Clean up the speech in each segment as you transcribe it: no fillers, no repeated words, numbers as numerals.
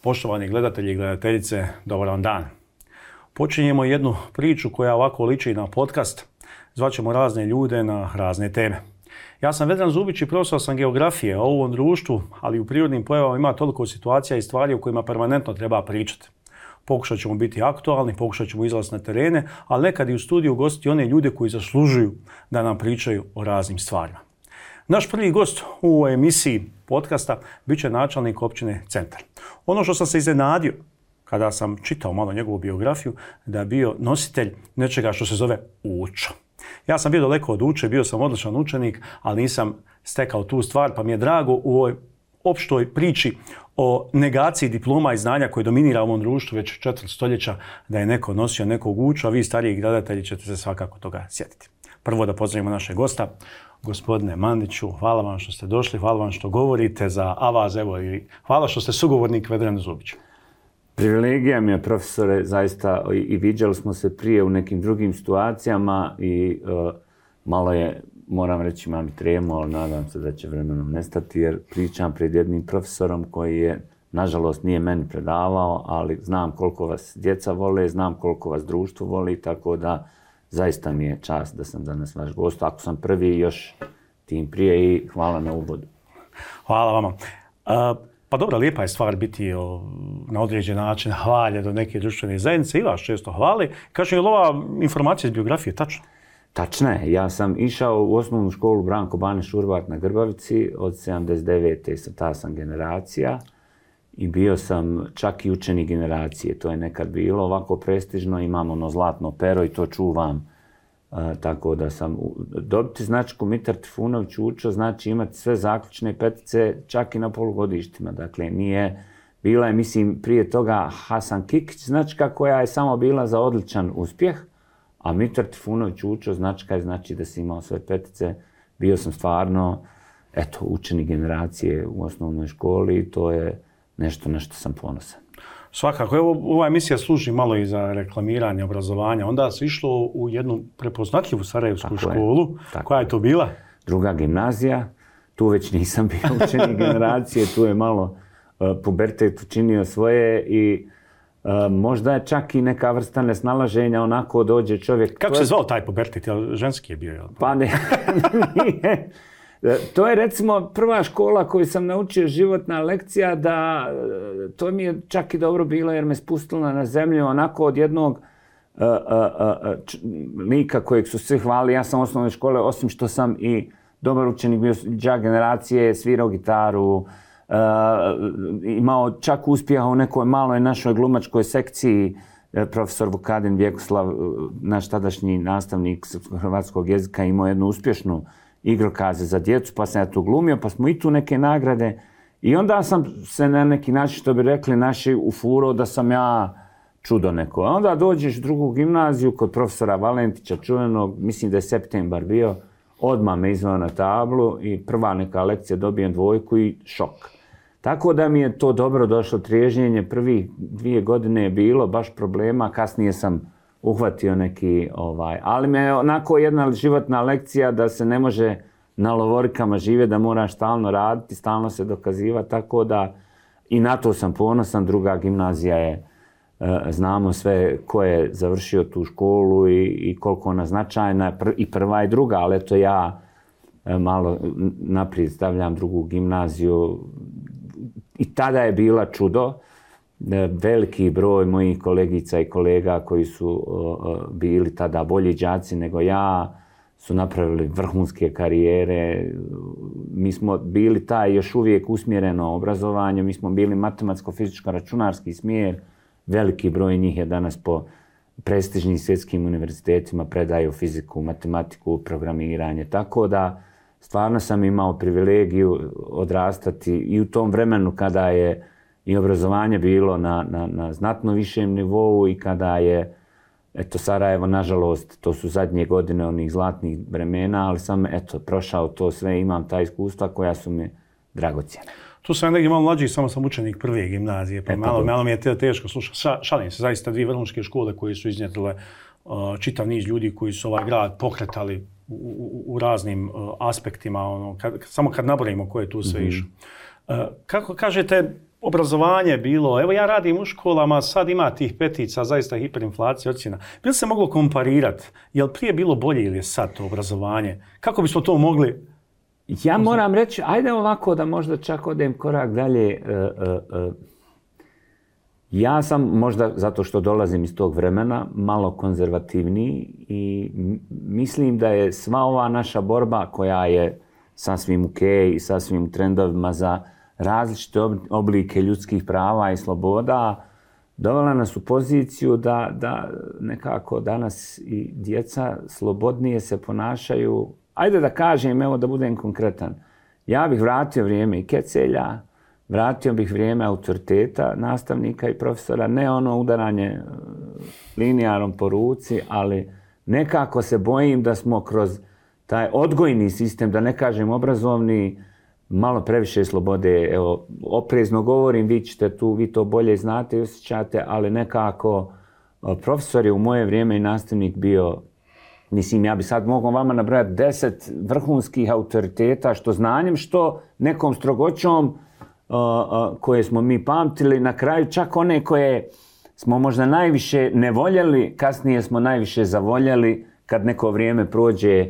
Poštovani gledatelji i gledateljice, dobar vam dan. Počinjemo jednu priču koja ovako liči na podcast. Zvaćemo razne ljude na razne teme. Ja sam Vedran Zubić i profesor sam geografije. A u ovom društvu, ali u prirodnim pojavama ima toliko situacija i stvari o kojima permanentno treba pričati. Pokušat ćemo biti aktualni, pokušat ćemo izlaziti na terene, ali nekad i u studiju ugostiti one ljude koji zaslužuju da nam pričaju o raznim stvarima. Naš prvi gost u emisiji podcasta bit će načelnik općine Centar. Ono što sam se iznenadio kada sam čitao malo njegovu biografiju, da je bio nositelj nečega što se zove Učo. Ja sam bio daleko od Uče, bio sam odličan učenik, ali nisam stekao tu stvar, pa mi je drago u ovoj opštoj priči o negaciji diploma i znanja koje dominira u ovom društvu već 4 stoljeća da je neko nosio nekog Uču, a vi stariji gledatelji ćete se svakako toga sjetiti. Prvo da pozdravimo našeg gosta. Gospodine Mandiću, hvala vam što ste došli, hvala vam što govorite za Avaz, evo i hvala što ste sugovornik Vedranu Zubiću. Privilegija mi je, profesore, zaista, i viđali smo se prije u nekim drugim situacijama i malo je, moram reći, imam i tremu, ali nadam se da će vremenom nestati, jer pričam pred jednim profesorom koji je, nažalost, nije meni predavao, ali znam koliko vas djeca vole, znam koliko vas društvo voli, tako da zaista mi je čast da sam danas vaš gost. Ako sam prvi, još tim prije i hvala na uvodu. Hvala vama. Pa dobro, lijepa je stvar biti na određen način hvaljen do neke društvene zajednice i vas često hvali. Kaže, je li ova informacija iz biografije tačna? Tačna je. Ja sam išao u osnovnu školu Branko Bane Šurbat na Grbavici od 79. Ta sam generacija i bio sam čak i učenik generacije. To je nekad bilo ovako prestižno. Imam ono zlatno pero i to čuvam. Tako da sam dobiti značku Mitar Trifunović Učo znači imati sve zaključne petice čak i na polugodištima. Dakle, nije bila je, mislim, prije toga Hasan Kikić značka koja je samo bila za odličan uspjeh, a Mitar Trifunović Učo značka je znači da si imao sve petice. Bio sam stvarno, eto, učenik generacije u osnovnoj školi i to je nešto na što sam ponosan. Svakako, evo, ova emisija služi malo i za reklamiranje obrazovanja. Onda se išlo u jednu prepoznatljivu sarajevsku školu. Koja je to bila? Druga gimnazija. Tu već nisam bio učenik generacije, tu je malo pubertet učinio svoje i možda je čak i neka vrsta nesnalaženja, onako dođe čovjek... Kako se zvao taj pubertet? Ženski je bio, jel? Pa ne, nije. To je, recimo, prva škola koju sam naučio, životna lekcija, da to mi je čak i dobro bilo jer me spustila na zemlju onako od jednog lika kojeg su svi hvalili. Ja sam u osnovnoj škole, osim što sam i dobar učenik, bio đak generacije, svirao gitaru, imao čak uspjeha u nekoj maloj našoj glumačkoj sekciji. Profesor Vukadin Vjekoslav, naš tadašnji nastavnik hrvatskog jezika, imao jednu uspješnu igrokaze za djecu, pa sam ja tu glumio, pa smo i tu neke nagrade. I onda sam se na neki način, što bi rekli naši, ufurao da sam ja čudo neko. A onda dođeš u drugu gimnaziju kod profesora Valentića, čuvenog, mislim da je septembar bio, odmah me izveo na tablu i prva neka lekcija dobijem 2 i šok. Tako da mi je to dobro došlo triježnjenje. Prvih 2 godine je bilo baš problema, kasnije sam uhvatio neki, ali me je onako jedna životna lekcija da se ne može na lovorikama živjeti, da moraš stalno raditi, stalno se dokazivati, tako da i na to sam ponosan. Druga gimnazija je, znamo sve ko je završio tu školu i koliko ona značajna, i prva i druga, ali eto ja malo naprijed stavljam drugu gimnaziju i tada je bila čudo. Veliki broj mojih kolegica i kolega koji su bili tada bolji đaci nego ja su napravili vrhunske karijere. Mi smo bili taj još uvijek usmjereno obrazovanje, mi smo bili matematicko-fizičko-računarski smjer. Veliki broj njih je danas po prestižnim svjetskim univerzitetima predaju fiziku, matematiku, programiranje. Tako da stvarno sam imao privilegiju odrastati i u tom vremenu kada je i obrazovanje bilo na znatno višem nivou i kada je, eto, Sarajevo, nažalost, to su zadnje godine onih zlatnih vremena, ali sam, eto, prošao to sve, imam ta iskustva koja su mi dragocjena. Tu sam negdje malo mlađi, samo sam učenik prve gimnazije, pa malo mi je teško slušati. Šalim se, zaista 2 vrhunske škole koje su iznjedrile čitav niz ljudi koji su ovaj grad pokretali u raznim aspektima, samo kad nabrojimo ko je tu sve išao. Kako kažete, obrazovanje bilo, evo ja radim u školama, sad ima tih petica, zaista hiperinflacija ocjena. Bi li se moglo komparirati? Je li prije bilo bolje ili je sad to obrazovanje? Kako bismo to mogli? Ja moram reći, ajde ovako da možda čak odem korak dalje. Ja sam možda, zato što dolazim iz tog vremena, malo konzervativniji i mislim da je sva ova naša borba koja je sasvim ok i sasvim u trendovima za različite oblike ljudskih prava i sloboda dovela nas u poziciju da nekako danas i djeca slobodnije se ponašaju. Ajde da kažem, evo da budem konkretan. Ja bih vratio vrijeme i kecelja, vratio bih vrijeme autoriteta, nastavnika i profesora, ne ono udaranje linijarom po ruci, ali nekako se bojim da smo kroz taj odgojni sistem, da ne kažem obrazovni, malo previše slobode. Evo, oprezno govorim, vi ćete tu, vi to bolje znate i osjećate, ali nekako profesor je u moje vrijeme i nastavnik bio, mislim, ja bi sad mogao vama nabrojati 10 vrhunskih autoriteta, što znanjem, što nekom strogoćom koje smo mi pamtili, na kraju čak one koje smo možda najviše ne voljeli, kasnije smo najviše zavoljeli kad neko vrijeme prođe.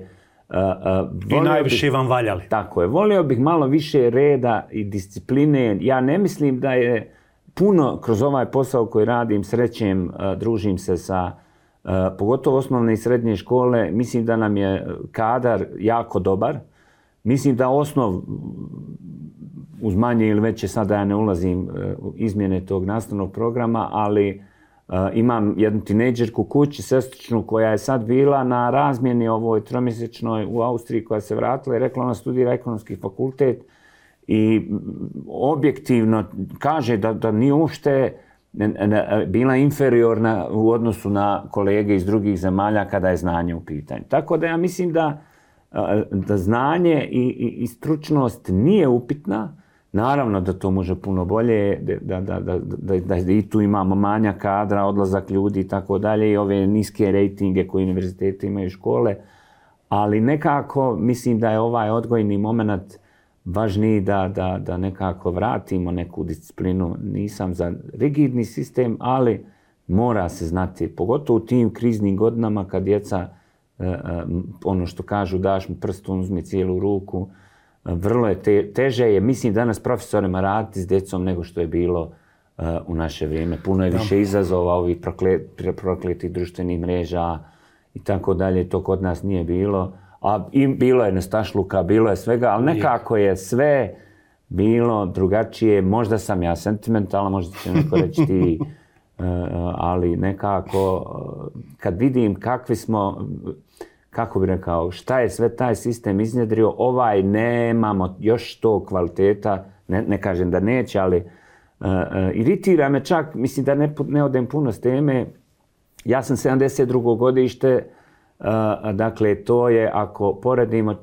I najviše vam valjali. Tako je. Volio bih malo više reda i discipline. Ja ne mislim da je puno kroz ovaj posao koji radim, srećem, družim se sa pogotovo osnovne i srednje škole. Mislim da nam je kadar jako dobar. Mislim da osnov uz manje ili veće, sada ja ne ulazim u izmjene tog nastavnog programa, ali imam jednu tinejdžerku kući, sestričnu, koja je sad bila na razmjeni ovoj tromjesečnoj u Austriji, koja se vratila i rekla ona studira ekonomski fakultet i objektivno kaže da nije uopšte bila inferiorna u odnosu na kolege iz drugih zemalja kada je znanje u pitanju. Tako da ja mislim da znanje i stručnost nije upitna. Naravno da to može puno bolje, da i tu imamo manjak kadra, odlazak ljudi i tako dalje i ove niske rejtinge koje univerzitete imaju škole, ali nekako mislim da je ovaj odgojni moment važniji da nekako vratimo neku disciplinu. Nisam za rigidni sistem, ali mora se znati, pogotovo u tim kriznim godinama kad djeca, ono što kažu, daš mu prst, on uzme cijelu ruku, vrlo je teže je, mislim, danas profesorima raditi s djecom nego što je bilo u naše vrijeme. Puno je više izazova ovih prokletih društvenih mreža i tako dalje. To kod nas nije bilo. A bilo je nestašluka, bilo je svega, ali nekako je sve bilo drugačije. Možda sam ja sentimentalan, možda će neko reći ti, ali nekako kad vidim kakvi smo, kako bih rekao, šta je sve taj sistem iznjedrio, nemamo još to kvaliteta, ne kažem da neće, ali iritira me čak, mislim da ne odem puno s teme. Ja sam 72. godište, dakle to je, ako poredimo,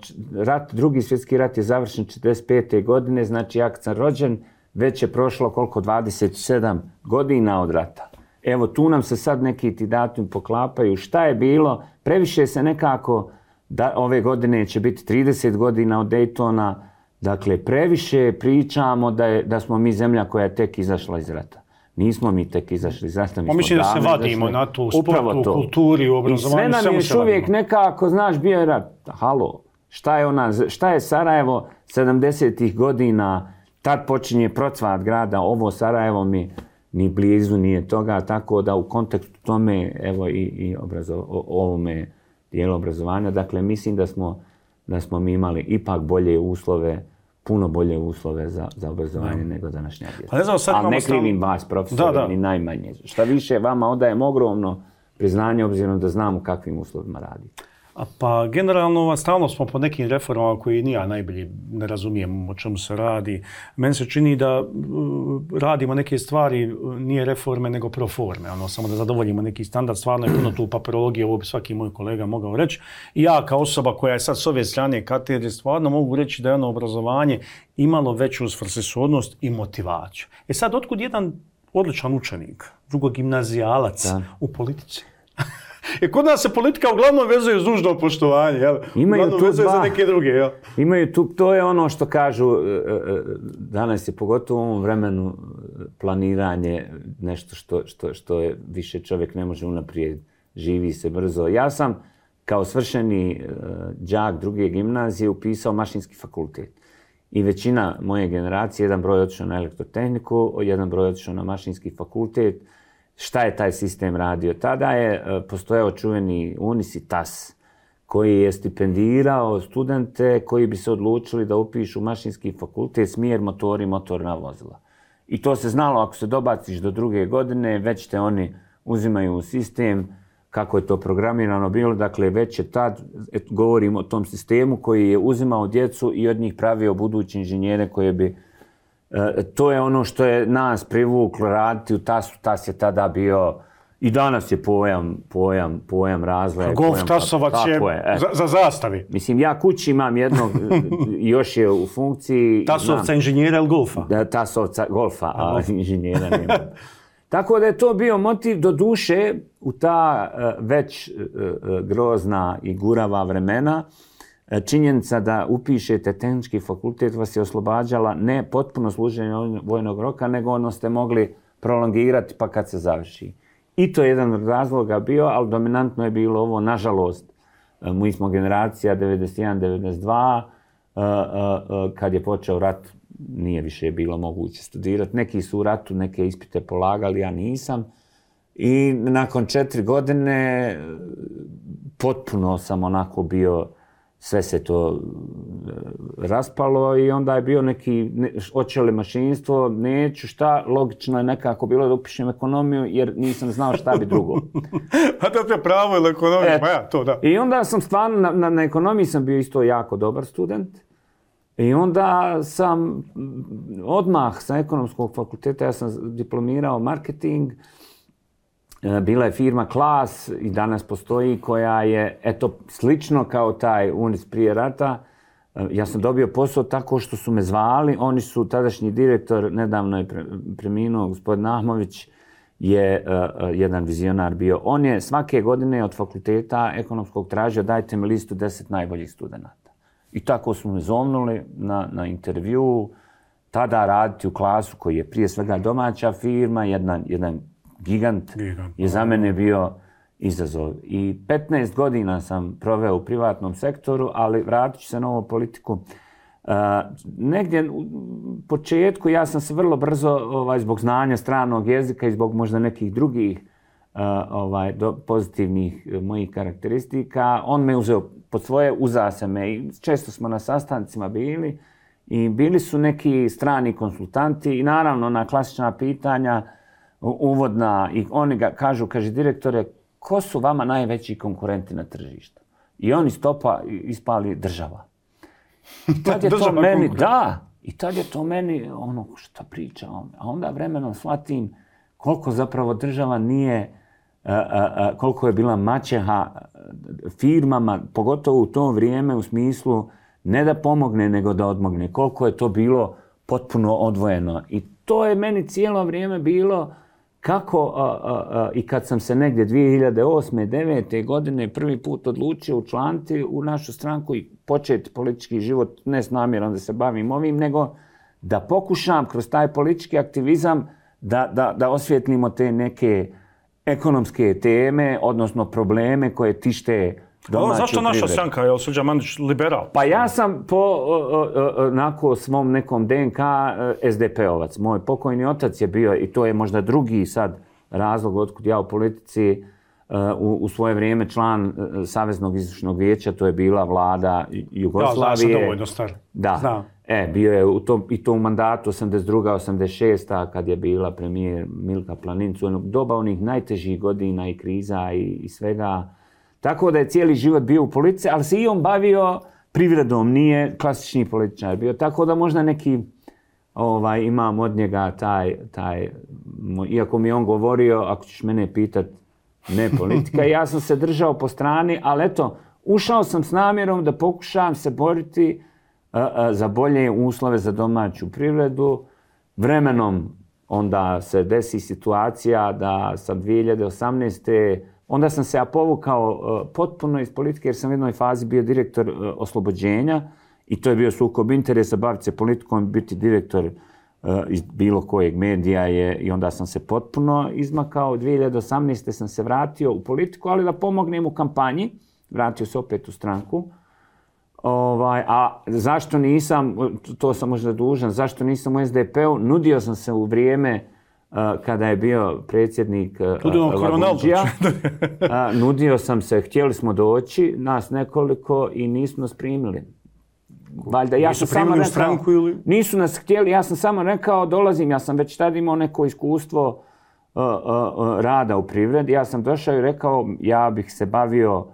drugi svjetski rat je završen 45. godine, znači ja kad sam rođen, već je prošlo koliko, 27 godina od rata. Evo, tu nam se sad neki ti datumi poklapaju. Šta je bilo? Previše se nekako, ove godine će biti 30 godina od Daytona, dakle, previše pričamo da smo mi zemlja koja je tek izašla iz rata. Nismo mi tek izašli iz rata. Mislim da se vadimo na to u sportu, u kulturi, u obrazovanju. I sve nam je još uvijek nekako, znaš, bio je rat. Halo, šta je Sarajevo 70-ih godina, tad počinje procvat grada, ovo Sarajevo mi ni blizu nije toga, tako da u kontekstu tome, evo i ovome dijelu obrazovanja, dakle, mislim da smo mi imali ipak bolje uslove, puno bolje uslove za obrazovanje nego današnja djeca. Ali ne krivim vas, profesori, ni najmanje. Šta više, vama odajem ogromno priznanje, obzirom da znam u kakvim uslovima radite. Pa generalno, stalno smo po nekim reformama koji ni ja najbolje ne razumijem o čemu se radi. Meni se čini da radimo neke stvari, nije reforme nego proforme, samo da zadovoljimo neki standard. Stvarno je puno tu papirologije, ovo bi svaki moj kolega mogao reći. I ja kao osoba koja je sad s ove strane katedre, stvarno mogu reći da je ono obrazovanje imalo veću svrsishodnost i motivaciju. Sad, otkud jedan odličan učenik, drugogimnazijalac u politici? Kod nas se politika uglavnom vezuje uz dužno poštovanje, jel? Imaju tu vezuje za neke druge, jel? Imaju tu, to je ono što kažu, danas je pogotovo u ovom vremenu planiranje nešto što je više čovjek ne može unaprijed, živi se brzo. Ja sam kao svršeni đak druge gimnazije upisao mašinski fakultet. I većina moje generacije, jedan broj otišao na elektrotehniku, jedan broj otišao na mašinski fakultet. Šta je taj sistem radio? Tada je postojao čuveni UNIS i TAS, koji je stipendirao studente koji bi se odlučili da upišu mašinski fakultet, smjer motori i motorna vozila. I to se znalo, ako se dobaciš do druge godine, već te oni uzimaju u sistem, kako je to programirano bilo. Dakle, već je tad, govorim o tom sistemu koji je uzimao djecu i od njih pravio budući inženjere koje bi... To je ono što je nas privuklo raditi u TAS-u. TAS je tada bio... I danas je pojam razvoja. Golf tasovac je za zastavi. Mislim, ja kući imam jednog, još je u funkciji... Tasovca inženjera ili golfa? Tasovca golfa, a inženjera nema. Tako da je to bio motiv do duše u ta već grozna i gurava vremena. Činjenica da upišete tehnički fakultet vas je oslobađala ne potpuno služenje vojnog roka, nego ono ste mogli prolongirati pa kad se završi. I to je jedan od razloga bio, ali dominantno je bilo ovo, nažalost, mi smo generacija 91-92, kad je počeo rat, nije više bilo moguće studirati. Neki su u ratu, neke ispite polagali, ja nisam. I nakon 4 godine potpuno sam onako bio, sve se to raspalo i onda je bio neki, hoće li mašinstvo, neću, šta, logično je nekako bilo da upišem ekonomiju jer nisam znao šta bi drugo. A to je pravo ili ekonomija, pa ja, to da. I onda sam stvarno, na ekonomiji sam bio isto jako dobar student. I onda sam odmah sa ekonomskog fakulteta, ja sam diplomirao marketing, bila je firma Klas i danas postoji koja je, eto, slično kao taj UNIS prije rata. Ja sam dobio posao tako što su me zvali. Oni su, tadašnji direktor, nedavno je preminuo, gospodin Ahmović, je jedan vizionar bio. On je svake godine od fakulteta ekonomskog tražio dajte mi listu 10 najboljih studenata. I tako su me zovnuli na intervju. Tada raditi u Klasu koji je prije svega domaća firma, jedan gigant je za mene bio izazov. I 15 godina sam proveo u privatnom sektoru, ali vratit ću se na ovu politiku. Negdje u početku ja sam se vrlo brzo zbog znanja stranog jezika i zbog možda nekih drugih pozitivnih mojih karakteristika, on me uzeo pod svoje, uzeo se me i često smo na sastancima bili i bili su neki strani konsultanti i naravno na klasična pitanja uvodna i oni ga kažu, kaže direktore, ko su vama najveći konkurenti na tržištu? I oni stopa ispali država. I tad je to meni, i tad je to meni ono što priča on. A onda vremenom shvatim koliko zapravo država nije, koliko je bila maćeha firmama, pogotovo u to vrijeme u smislu ne da pomogne nego da odmogne. Koliko je to bilo potpuno odvojeno. I to je meni cijelo vrijeme bilo kako i kad sam se negdje 2008. 2009. godine prvi put odlučio učlaniti u našu stranku i početi politički život, ne s namjerom da se bavim ovim, nego da pokušam kroz taj politički aktivizam da osvijetlimo te neke ekonomske teme, odnosno probleme koje tište domaću zašto naša privredu. stranka, je li Srđan Mandić liberal? Pa ja sam po svom nekom DNK SDP-ovac. Moj pokojni otac je bio, i to je možda drugi sad razlog otkud ja u politici, u svoje vrijeme član Saveznog izvršnog vijeća, to je bila vlada Jugoslavije. Da, znam sam dovoljno star. Da. Znam. Bio je i to u mandatu 82-86, kad je bila premijer Milka Planincu, doba onih najtežih godina i kriza i svega. Tako da je cijeli život bio u politici, ali se i on bavio privredom, nije klasični političar bio. Tako da možda neki imam od njega taj, iako mi je on govorio, ako ćeš mene pitat, ne politika, ja sam se držao po strani, ali eto, ušao sam s namjerom da pokušam se boriti za bolje uslove za domaću privredu. Vremenom onda se desi situacija da sam 2018. Onda sam se povukao potpuno iz politike jer sam u jednoj fazi bio direktor Oslobođenja i to je bio sukob interesa, baviti se politikom, biti direktor iz bilo kojeg medija i onda sam se potpuno izmakao. 2018. sam se vratio u politiku, ali da pomognem u kampanji. Vratio se opet u stranku. A zašto nisam, to sam možda dužan, zašto nisam u SDP-u? Nudio sam se u vrijeme kada je bio predsjednik Lagundžija. Nudio sam se, htjeli smo doći, nas nekoliko i nisu nas primili. Valjda, ja nisu primili u stranku ili? Nisu nas htjeli, ja sam samo rekao dolazim, ja sam već tada imao neko iskustvo rada u privredi. Ja sam došao i rekao ja bih se bavio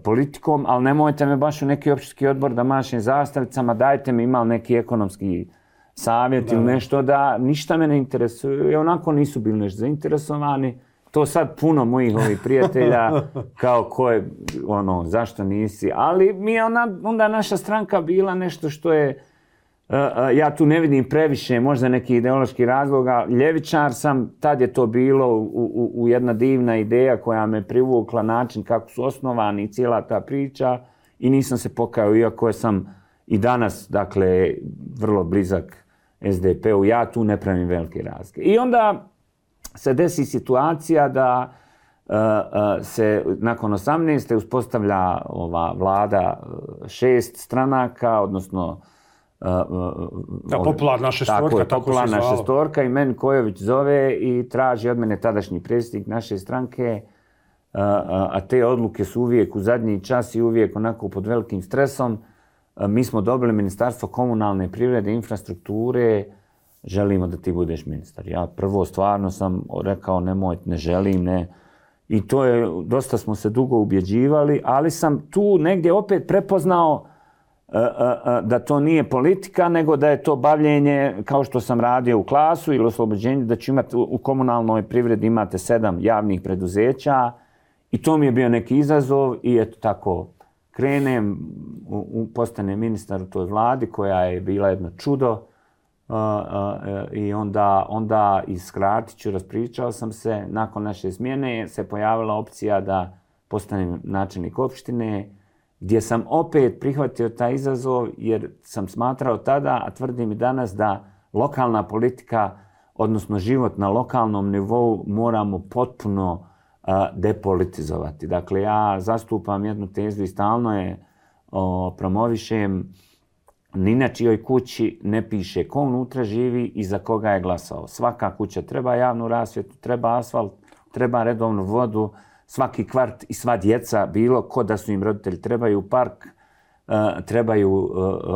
politikom, ali nemojte me baš u neki općinski odbor da mašem zastavicama, dajte mi imali neki ekonomski savjet ili nešto, da ništa me ne interesuje. I onako nisu bili nešto zainteresovani. To sad puno mojih ovih prijatelja, kao ko je, zašto nisi. Ali mi je onda naša stranka bila nešto što je, ja tu ne vidim previše, možda neki ideološki razloga. Ljevičar sam, tad je to bilo u jedna divna ideja koja me privukla, način kako su osnovani i cijela ta priča. I nisam se pokajao, iako sam i danas, dakle, vrlo blizak SDP-u. Ja tu ne pravim velike razlike. I onda se desi situacija da se nakon 18. uspostavlja ova vlada 6 stranaka, odnosno popularna šestorka, tako šestorka, i meni Kojović zove i traži od mene tadašnji predsjednik naše stranke, a te odluke su uvijek u zadnji čas i uvijek onako pod velikim stresom. Mi smo dobili Ministarstvo komunalne privrede i infrastrukture, želimo da ti budeš ministar. Ja prvo stvarno sam rekao ne želim, ne. I to je, dosta smo se dugo ubjeđivali, ali sam tu negdje opet prepoznao da to nije politika, nego da je to bavljenje, kao što sam radio u Klasu ili oslobođenju, da ću imati u komunalnoj privredi imate 7 javnih preduzeća i to mi je bio neki izazov i eto tako krenem, postanem ministar u toj vladi koja je bila jedno čudo. I onda iskratit ću, raspričao sam se, nakon naše smjene se pojavila opcija da postanem načelnik opštine, gdje sam opet prihvatio taj izazov jer sam smatrao tada, a tvrdim i danas, da lokalna politika, odnosno život na lokalnom nivou moramo potpuno depolitizovati. Dakle, ja zastupam jednu tezu i stalno je promovišem. Ni na čijoj kući ne piše ko unutra živi i za koga je glasao. Svaka kuća treba javnu rasvjetu, treba asfalt, treba redovnu vodu, svaki kvart i sva djeca, bilo ko da su im roditelji, trebaju park, trebaju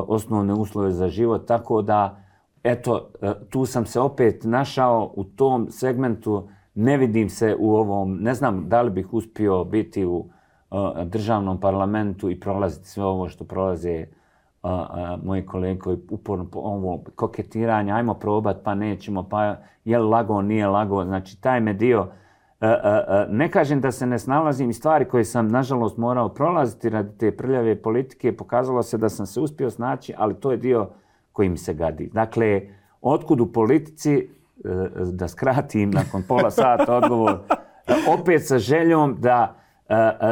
osnovne uslove za život. Tako da, eto, tu sam se opet našao u tom segmentu, ne vidim se u ovom, ne znam da li bih uspio biti u državnom parlamentu i prolaziti sve ovo što prolaze moji kolege koji uporno ovo koketiranje, ajmo probat, pa nećemo, pa je li lago, nije lago. Znači, taj me dio, ne kažem da se ne snalazim i stvari koje sam, nažalost, morao prolaziti radi te prljave politike, pokazalo se da sam se uspio snaći, ali to je dio koji mi se gadi. Dakle, otkud u politici, da skratim nakon pola sata odgovor, opet sa željom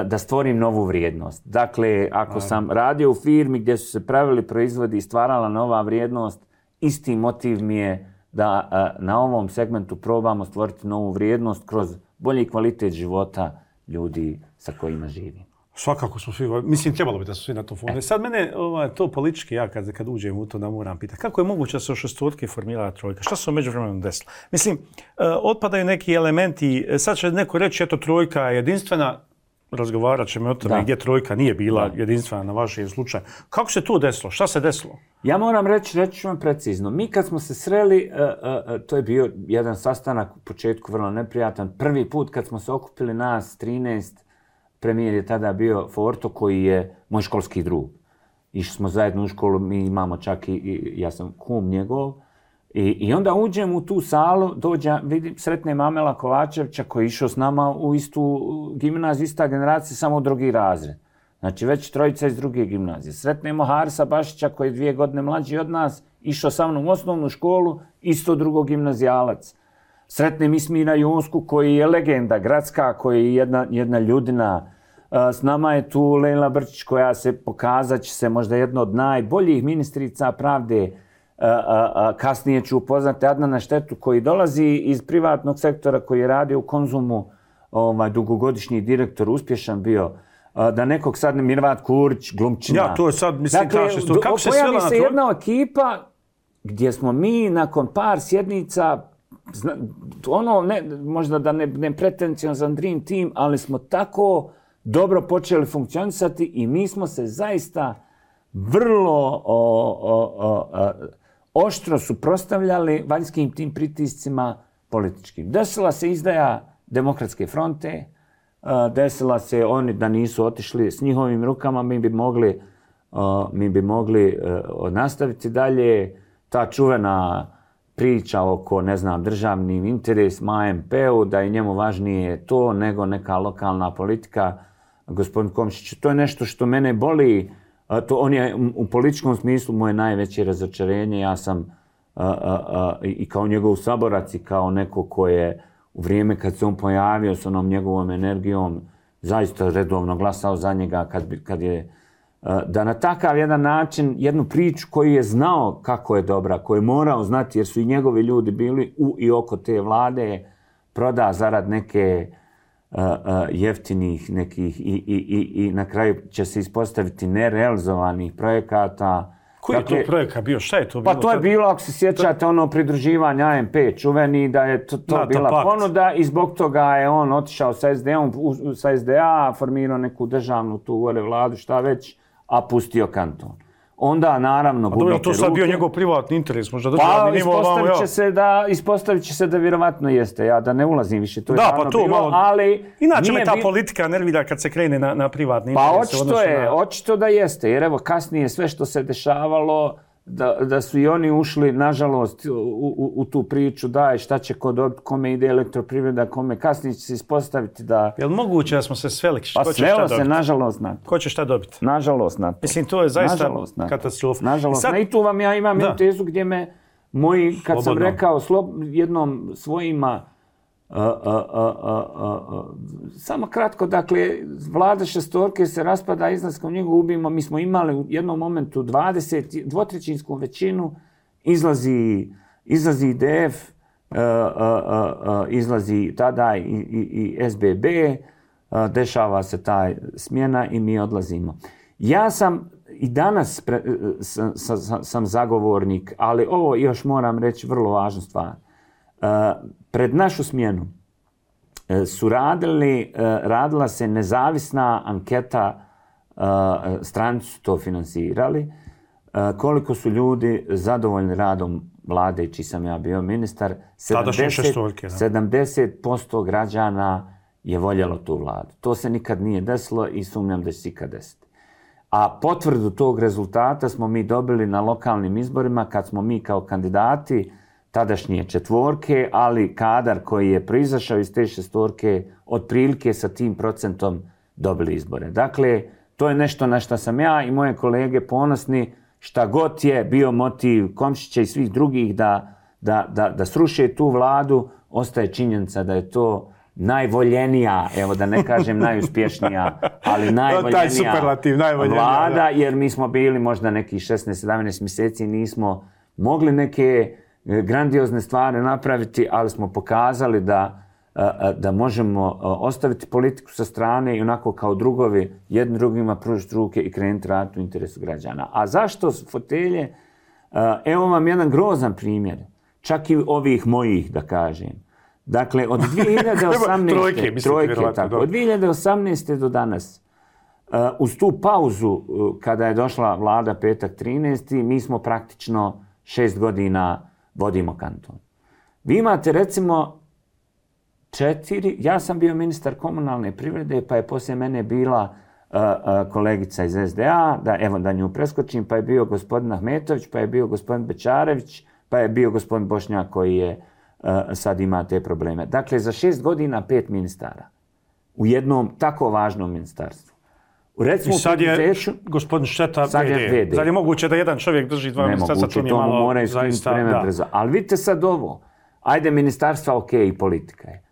da stvorim novu vrijednost. Dakle, ako sam radio u firmi gdje su se pravili proizvodi i stvarala nova vrijednost, isti motiv mi je da na ovom segmentu probamo stvoriti novu vrijednost kroz bolji kvalitet života ljudi sa kojima živim. Svakako smo svi, mislim, trebalo bi da su svi na to fone. Sad mene to politički, ja kad uđem u to da moram pitati, kako je moguće da se od šestorke formira trojka? Šta se u međuvremenu desilo? Mislim, otpadaju neki elementi, sad će neko reći, eto, trojka je jedinstvena, razgovarat ćemo o tome gdje trojka nije bila jedinstvena na vašem slučaju. Kako se to desilo? Šta se desilo? Ja moram reći ću vam precizno. Mi kad smo se sreli, to je bio jedan sastanak u početku vrlo neprijatan. Prvi put kad smo se okupili nas 13, premijer je tada bio Forto koji je moj školski drug. Išli smo zajedno u školu, mi imamo čak i ja sam kum njegov. I onda uđem u tu salu, sretnem Amela Kovačevića koji je išao s nama u istu gimnaziju, ista generacija, samo u drugi razred. Znači već trojica iz druge gimnazije. Sretnemo Harisa Bašića koji je 2 godine mlađi od nas, išao sa mnom u osnovnu školu, isto drugo gimnazijalac. Sretnem Ismira Jonsku koji je legenda gradska, koji je jedna ljudina. S nama je tu Lejla Brčić koja se pokazat će se možda jedna od najboljih ministrica pravde kasnije ću upoznati Adnana Štetu koji dolazi iz privatnog sektora, koji je radio u Konzumu, dugogodišnji direktor, uspješan bio, da nekog sad ne Mirvat Kurić, glumčina. Ja, to je sad, mislim, dakle, kako se svela na se jedna ekipa gdje smo mi nakon par sjednica, možda da ne pretenciozan dream team, ali smo tako dobro počeli funkcionisati i mi smo se zaista vrlo oštro suprotstavljali vanjskim tim pritiscima političkim. Desila se izdaja Demokratske fronte, desila se oni da nisu otišli s njihovim rukama, mi bi mogli nastaviti dalje. Ta čuvena priča oko, državnim interesima AMP-u, da je njemu važnije to nego neka lokalna politika. Gospodin Komšić, to je nešto što mene boli. On je u političkom smislu moje najveće razočarenje. Ja sam i kao njegov saborac i kao neko ko je u vrijeme kad se on pojavio s onom njegovom energijom zaista redovno glasao za njega kad je da na takav jedan način, jednu priču koju je znao kako je dobra, koju je morao znati jer su i njegovi ljudi bili u i oko te vlade, proda zarad neke jeftinih nekih i na kraju će se ispostaviti nerealizovanih projekata. Koji je to projekat bio? Šta je to bilo? Pa to je bilo, ako se sjećate, pridruživanje AMP čuveni, da je to bila ponuda i zbog toga je on otišao sa SDA, formirao neku državnu tu gore vladu, šta već, a pustio kanton. Onda, naravno, gubite ruke. To sad bio njegov privatni interes, možda državni nivo. Ispostavit će se da vjerovatno jeste, ja da ne ulazim više, to je stvarno bilo, malo, ali... Inače me ta politika nervira kad se krene na privatni interes. Pa očito da jeste, jer evo kasnije sve što se dešavalo, da su i oni ušli, nažalost, u tu priču, daj šta će ko dobiti, kome ide elektroprivreda, kome kasnije će se ispostaviti da... Je li moguće da smo se sveli? Pa svelo se, nažalost, na to. Ko će šta dobiti? Nažalost, na to. Mislim, to je zaista katastrofa. Nažalost, i tu vam ja imam jednu tezu gdje me moji, kad sam rekao jednom svojima, samo kratko, dakle, vlada šestorke se raspada izlaskom njega ubijemo. Mi smo imali u jednom momentu 2/3 većinu, izlazi IDF, izlazi tada i SBB, dešava se ta smjena i mi odlazimo. Ja sam i danas sam zagovornik, ali ovo još moram reći vrlo važnu stvar. Pred našu smjenu su radila se nezavisna anketa, stranci su to finansirali, koliko su ljudi zadovoljni radom vlade, čiji sam ja bio ministar. 70% građana je voljelo tu vladu. To se nikad nije desilo i sumnjam da će se ikad desiti. A potvrdu tog rezultata smo mi dobili na lokalnim izborima kad smo mi kao kandidati tadašnje četvorke, ali kadar koji je proizašao iz te šestorke otprilike sa tim procentom dobili izbore. Dakle, to je nešto na što sam ja i moje kolege ponosni, šta god je bio motiv Komšića i svih drugih da sruše tu vladu, ostaje činjenica da je to najvoljenija, evo da ne kažem najuspješnija, ali najvoljenija vlada, jer mi smo bili možda nekih 16-17 mjeseci, nismo mogli neke grandiozne stvari napraviti, ali smo pokazali da možemo ostaviti politiku sa strane i onako kao drugovi jedni drugima pružiti ruke i krenuti raditi u interesu građana. A zašto fotelje? Evo vam jedan grozan primjer, čak i ovih mojih, da kažem. Dakle, od 2018. do danas, uz tu pauzu kada je došla vlada petak 13. mi smo praktično 6 godina vodimo kanton. Vi imate recimo 4, ja sam bio ministar komunalne privrede, pa je poslije mene bila kolegica iz SDA, da nju preskočim, pa je bio gospodin Ahmetović, pa je bio gospodin Bečarević, pa je bio gospodin Bošnjak koji je sad ima te probleme. Dakle, za 6 godina 5 ministara u jednom tako važnom ministarstvu. I sad je gospodin Šteta VD. Zar je moguće da jedan čovjek drži 2 ministarstva? Nemoguće, to mu mora iskunuti vreme brzo. Ali vidite sad ovo. Ajde, ministarstva ok i politika je.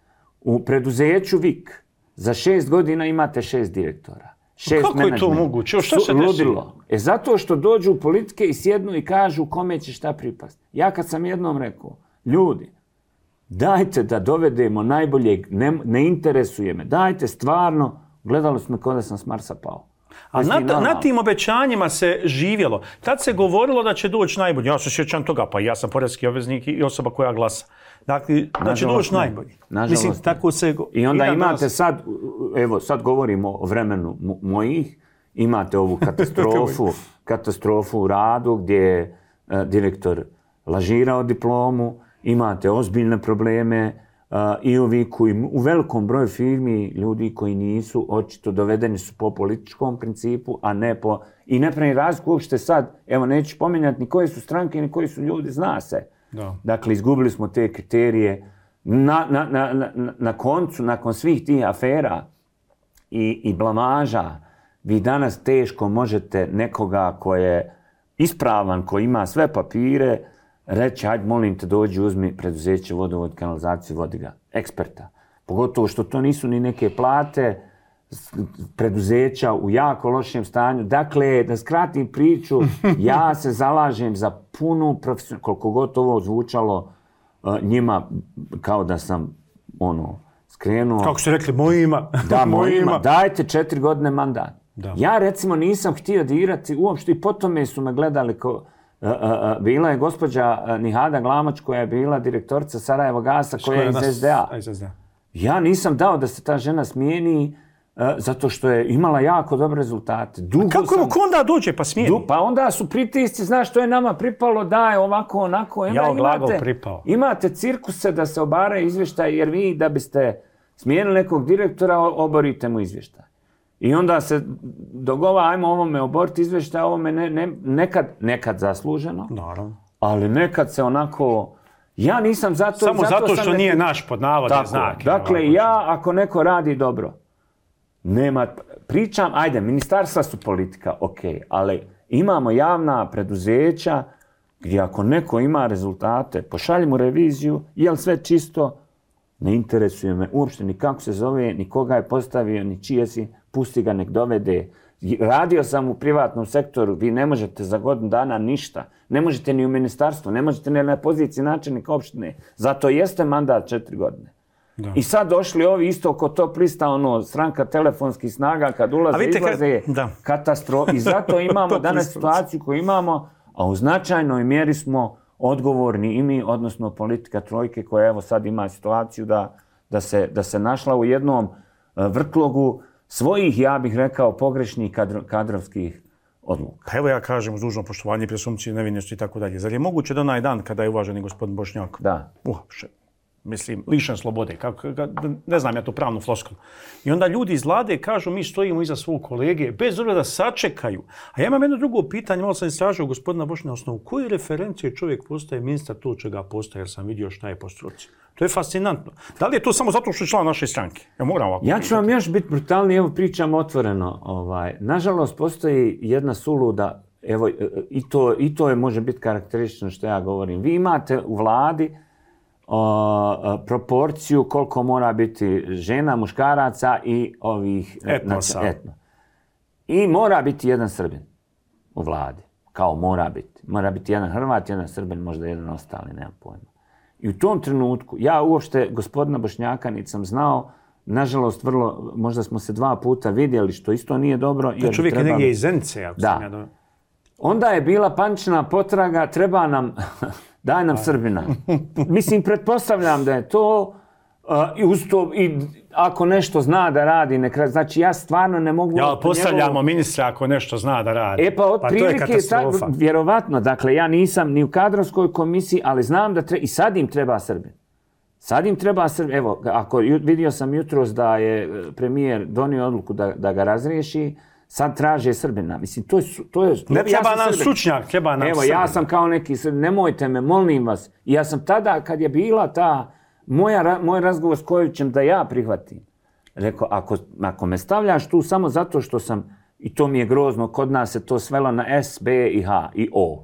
U preduzeću VIK za 6 godina imate 6 direktora. 6 Kako je to moguće? Šta se ludilo. Zato što dođu u politike i sjednu i kažu kome će šta pripasti. Ja kad sam jednom rekao, ljudi, dajte da dovedemo najboljeg, ne interesuje me, dajte stvarno, gledali smo kao da sam s Marsa pao. A na tim obećanjima se živjelo. Tad se govorilo da će doći najbolji. Ja se sjećam toga, pa ja sam porezki obveznik i osoba koja glasa. Dakle, da će doći najbolji. Mislim, tako se... I onda imate sad, evo, sad govorimo o vremenu mojih, imate ovu katastrofu u radu gdje je direktor lažirao diplomu, imate ozbiljne probleme i u velikom broju firmi ljudi koji nisu očito dovedeni su po političkom principu, a ne po... I ne pravi razliku uopšte sad, evo neću pominjati ni koje su stranke, ni koji su ljudi, zna se. Da. Dakle, izgubili smo te kriterije. Na koncu, nakon svih tih afera i blamaža, vi danas teško možete nekoga ko je ispravan, ko ima sve papire, reći, hajde, molim te, dođi, uzmi preduzeće, vodovod, kanalizaciju, vodi ga, eksperta. Pogotovo što to nisu ni neke plate, preduzeća u jako lošem stanju. Dakle, da skratim priču, ja se zalažem za punu profesionalnu, koliko god ovo zvučalo njima, kao da sam, skrenuo... Kako ste rekli, mojima. Da, mojima. Dajte 4 godine mandat. Da. Ja, recimo, nisam htio dirati uopšte i potom su me gledali bila je gospođa Nihada Glamoć koja je bila direktorica Sarajevo Gasa koja je iz SDA. Ja nisam dao da se ta žena smijeni zato što je imala jako dobre rezultate. Kako onda dođe pa smijeni? Pa onda su pritisci, znaš što je nama pripalo, da je ovako, onako. Ja glagol pripao. Imate cirkuse da se obaraju izvještaj jer vi da biste smijenili nekog direktora oborite mu izvještaj. I onda se dogovara, ajmo ovome oboriti izvještaj, ovome nekad zasluženo, naravno. Ali nekad se onako... Ja nisam zato... Samo zato što nije naš pod navodne znake. Dakle, ja ako neko radi dobro, nema... Pričam, ajde, ministarstva su politika, ok, ali imamo javna preduzeća gdje ako neko ima rezultate, pošaljimo reviziju, je li sve čisto? Ne interesuje me uopšte ni kako se zove, ni koga je postavio, ni čije si, pusti ga nek dovede. Radio sam u privatnom sektoru, vi ne možete za godinu dana ništa. Ne možete ni u ministarstvu, ne možete ni na poziciji načelnika opštine. Zato jeste mandat 4 godine. Da. I sad došli ovi isto ko top lista, stranka telefonskih snaga, kad ulaze, izlaze, katastrofa. I zato imamo danas situaciju koju imamo, a u značajnoj mjeri smo odgovorni i mi, odnosno politika trojke koja evo sad ima situaciju da se našla u jednom vrtlogu svojih, ja bih rekao, pogrešnih kadrovskih odluka. Pa evo ja kažem uz dužno poštovanje i presumpcije nevinosti i tako dalje. Zar je moguće da onaj dan kada je uvaženi gospodin Bošnjak lišen slobode, ne znam ja to pravnu floskulu. I onda ljudi iz vlade kažu mi stojimo iza svog kolege, bez obzira da sačekaju. A ja imam jedno drugo pitanje, malo sam istražio gospodina Bošnjaka, osnovu koje referencije čovjek postaje ministar to čega postaje, jer sam vidio šta je po struci. To je fascinantno. Da li je to samo zato što je član naše stranke? Ja ću vam još biti brutalniji, evo pričam otvoreno. Nažalost, postoji jedna suluda, evo, i to je može biti karakteristično što ja govorim. Vi imate u vladi proporciju koliko mora biti žena, muškaraca i ovih etnosa. I mora biti jedan Srbin u vladi. Kao mora biti. Mora biti jedan Hrvat, jedan Srbin, možda jedan ostali, nemam pojma. I u tom trenutku, ja uopšte gospodina Bošnjaka niti sam znao, nažalost, možda smo se 2 puta vidjeli, što isto nije dobro. To čovjek je negdje iz Zenice, ako sam ja dobro. Onda je bila panična potraga, treba nam, daj nam Srbina. Mislim, pretpostavljam da je to, i ako nešto zna da radi, znači ja stvarno ne mogu... Ja, postavljamo ministra ako nešto zna da radi. Pa to je katastrofa. Vjerovatno, dakle, ja nisam ni u kadrovskoj komisiji, ali znam da i sad im treba Srbin. Evo, vidio sam jutros da je premijer donio odluku da ga razriješi, sad traže Srbina. Mislim, to je... Ne treba nam stručnjak, treba nam Srbina. Evo, ja sam kao neki Srbin, nemojte me, molim vas. I ja sam tada, kad je bila ta... Moj razgovor s Kojovićem da ja prihvatim. Rekao, ako me stavljaš tu samo zato što sam, i to mi je grozno, kod nas se to svelo na S, B i H i O.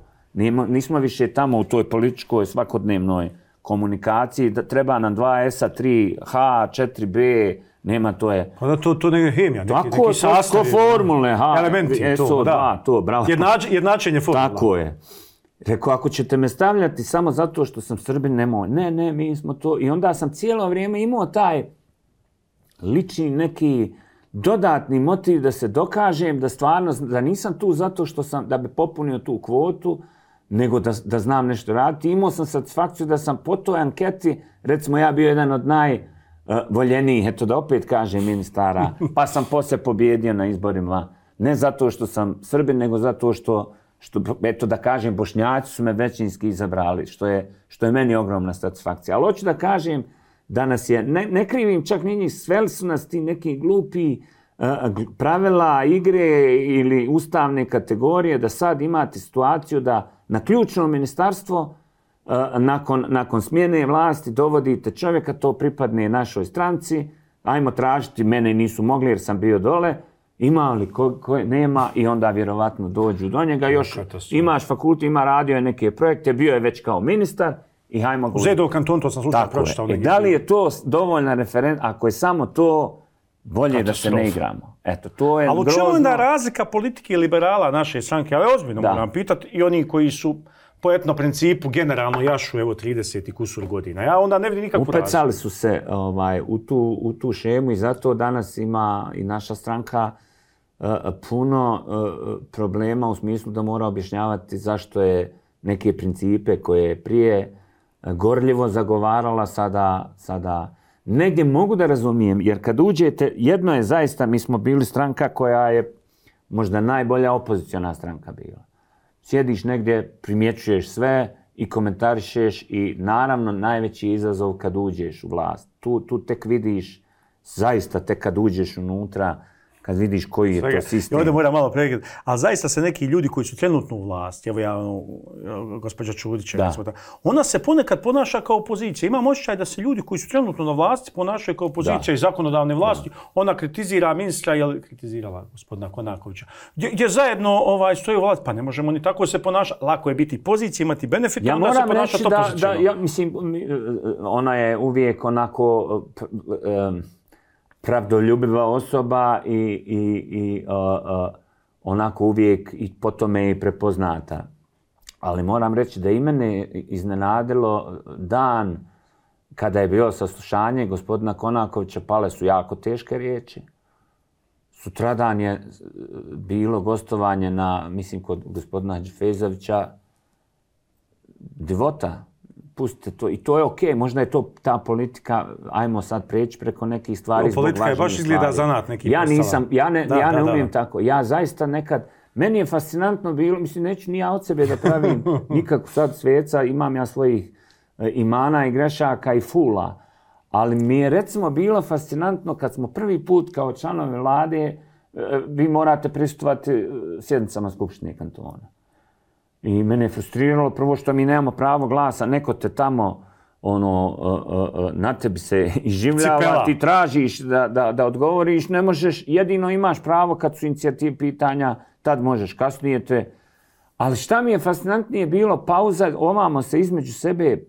Nismo više tamo u toj političkoj svakodnevnoj komunikaciji, da treba nam 2S-a, 3H, 4B, nema, to je... Pa da, to neke hemija, neki sastav. Tako, formule, elementi, SO2, to, bravo. Jednačenje formula. Tako je. Rekao, ako ćete me stavljati samo zato što sam Srbin, nemoj. Ne, mi smo to. I onda sam cijelo vrijeme imao taj lični neki dodatni motiv da se dokažem da stvarno, da nisam tu zato što sam, da bi popunio tu kvotu, nego da znam nešto raditi. Imao sam satisfakciju da sam po toj anketi, recimo ja bio jedan od najvoljenijih, eto da opet kažem, ministara, pa sam poslije pobjedio na izborima. Ne zato što sam Srbin, nego zato što eto da kažem, Bošnjaci su me većinski izabrali, što je meni ogromna satisfakcija. Ali hoću da kažem da nas je, ne krivim čak ni njih, sveli su nas ti neki glupi pravila igre ili ustavne kategorije, da sad imate situaciju da na ključno ministarstvo nakon smjene vlasti dovodite čovjeka, to pripadne našoj stranci, ajmo tražiti, mene nisu mogli jer sam bio dole, ima li, nema, i onda vjerovatno dođu do njega. Još imaš fakultet, radio je neke projekte, bio je već kao ministar i hajmo ga... U Zedovom kantonu, to sam slučajno pročitao. Da li je to dovoljna referenca, ako je samo to, bolje da se ne igramo. Eto, to je grozno. Ali u čemu je onda razlika politike i liberala naše stranke? Ali ozbiljno moram pitati, i oni koji su po etno principu generalno jašu, evo, 30 i kusur godina. Ja onda ne vidim nikakvu razliku. Upecali su se u tu šemu i zato danas ima i naša stranka puno problema u smislu da mora objašnjavati zašto je neke principe koje je prije gorljivo zagovarala sada negdje mogu da razumijem, jer kad uđete, jedno je zaista, mi smo bili stranka koja je možda najbolja opoziciona stranka bila. Sjediš negdje, primjećuješ sve i komentarišeš i naravno najveći izazov kad uđeš u vlast. Tu tek vidiš, zaista tek kad uđeš unutra, kad vidiš koji je to sistem. I ovdje moram malo pregledati. Ali zaista se neki ljudi koji su trenutno u vlasti, evo ja, gospođa Čudić, ona se ponekad ponaša kao opozicija. Imam osjećaj da se ljudi koji su trenutno na vlasti ponašaju kao opozicija i zakonodavne vlasti. Ona kritizira ministra, je li kritizirala gospodina Konakovića, gdje zajedno stoji u vlasti. Pa ne možemo ni tako se ponašati. Lako je biti pozicija, imati benefit, ja onda se ponašati opozicijno. Ja mislim, ona je uvijek onako... pravdoljubiva osoba i onako uvijek i po tome i prepoznata. Ali moram reći da i mene iznenadilo dan kada je bilo saslušanje gospodina Konakovića, pale su jako teške riječi. Sutradan je bilo gostovanje kod gospodina Hadžifezovića, divota. Pustite to. I to je okej. Možda je to ta politika, ajmo sad preći preko nekih stvari zbog važnijih stvari. Politika je baš izgleda zanat neki Ja ne umijem tako. Ja zaista nekad, meni je fascinantno bilo, mislim, neću ni ja od sebe da pravim nikakvu sad sveca, imam ja svojih imana i grešaka i fula, ali mi je recimo bilo fascinantno kad smo prvi put kao članovi vlade, vi morate prisustvovati sjednicama Skupštine kantona. I mene je frustriralo prvo što mi nemamo pravo glasa, neko te tamo na tebi se iživljava, ti tražiš da odgovoriš, ne možeš, jedino imaš pravo kad su inicijative pitanja, tad možeš, kasnije te... Ali šta mi je fascinantnije bilo, pauza, ovamo se između sebe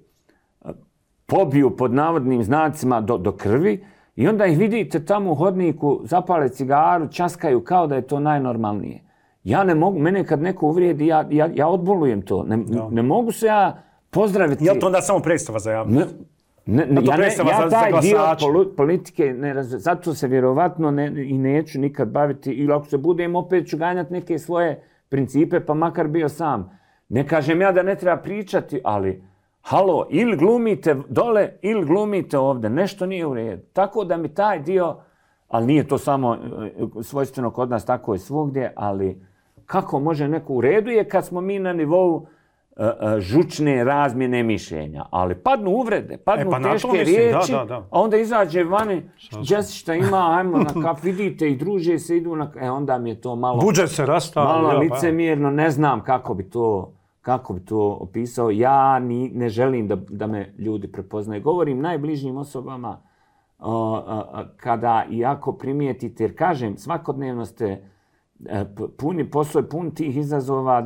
pobiju pod navodnim znacima do krvi i onda ih vidite tamo u hodniku, zapale cigaru, časkaju kao da je to najnormalnije. Ja ne mogu, mene kad neko uvrijedi, ja odbolujem to. Ne mogu se ja pozdraviti. Je li to onda samo predstava za javnost? Ja taj dio politike ne razumem. Zato se vjerovatno i neću nikad baviti. Ili ako se budem, opet ću ganjati neke svoje principe, pa makar bio sam. Ne kažem ja da ne treba pričati, ali halo, ili glumite dole, ili glumite ovdje. Nešto nije u redu. Tako da mi taj dio, ali nije to samo svojstveno kod nas, tako je svugdje, ali kako može neko u redu je kad smo mi na nivou žučne razmjene mišljenja, ali padnu uvrede, padnu teške riječi, a onda izađe vani, šta ima, ajmo na kaf, vidite i druže se, idu na onda mi je to malo... Budžet se rastavio. Malo licemjerno, ne znam kako bi to opisao. Ja ne želim da me ljudi prepoznaju. Govorim najbližnjim osobama kada i ako primijetite, jer kažem, svakodnevno ste puni posao, pun tih izazova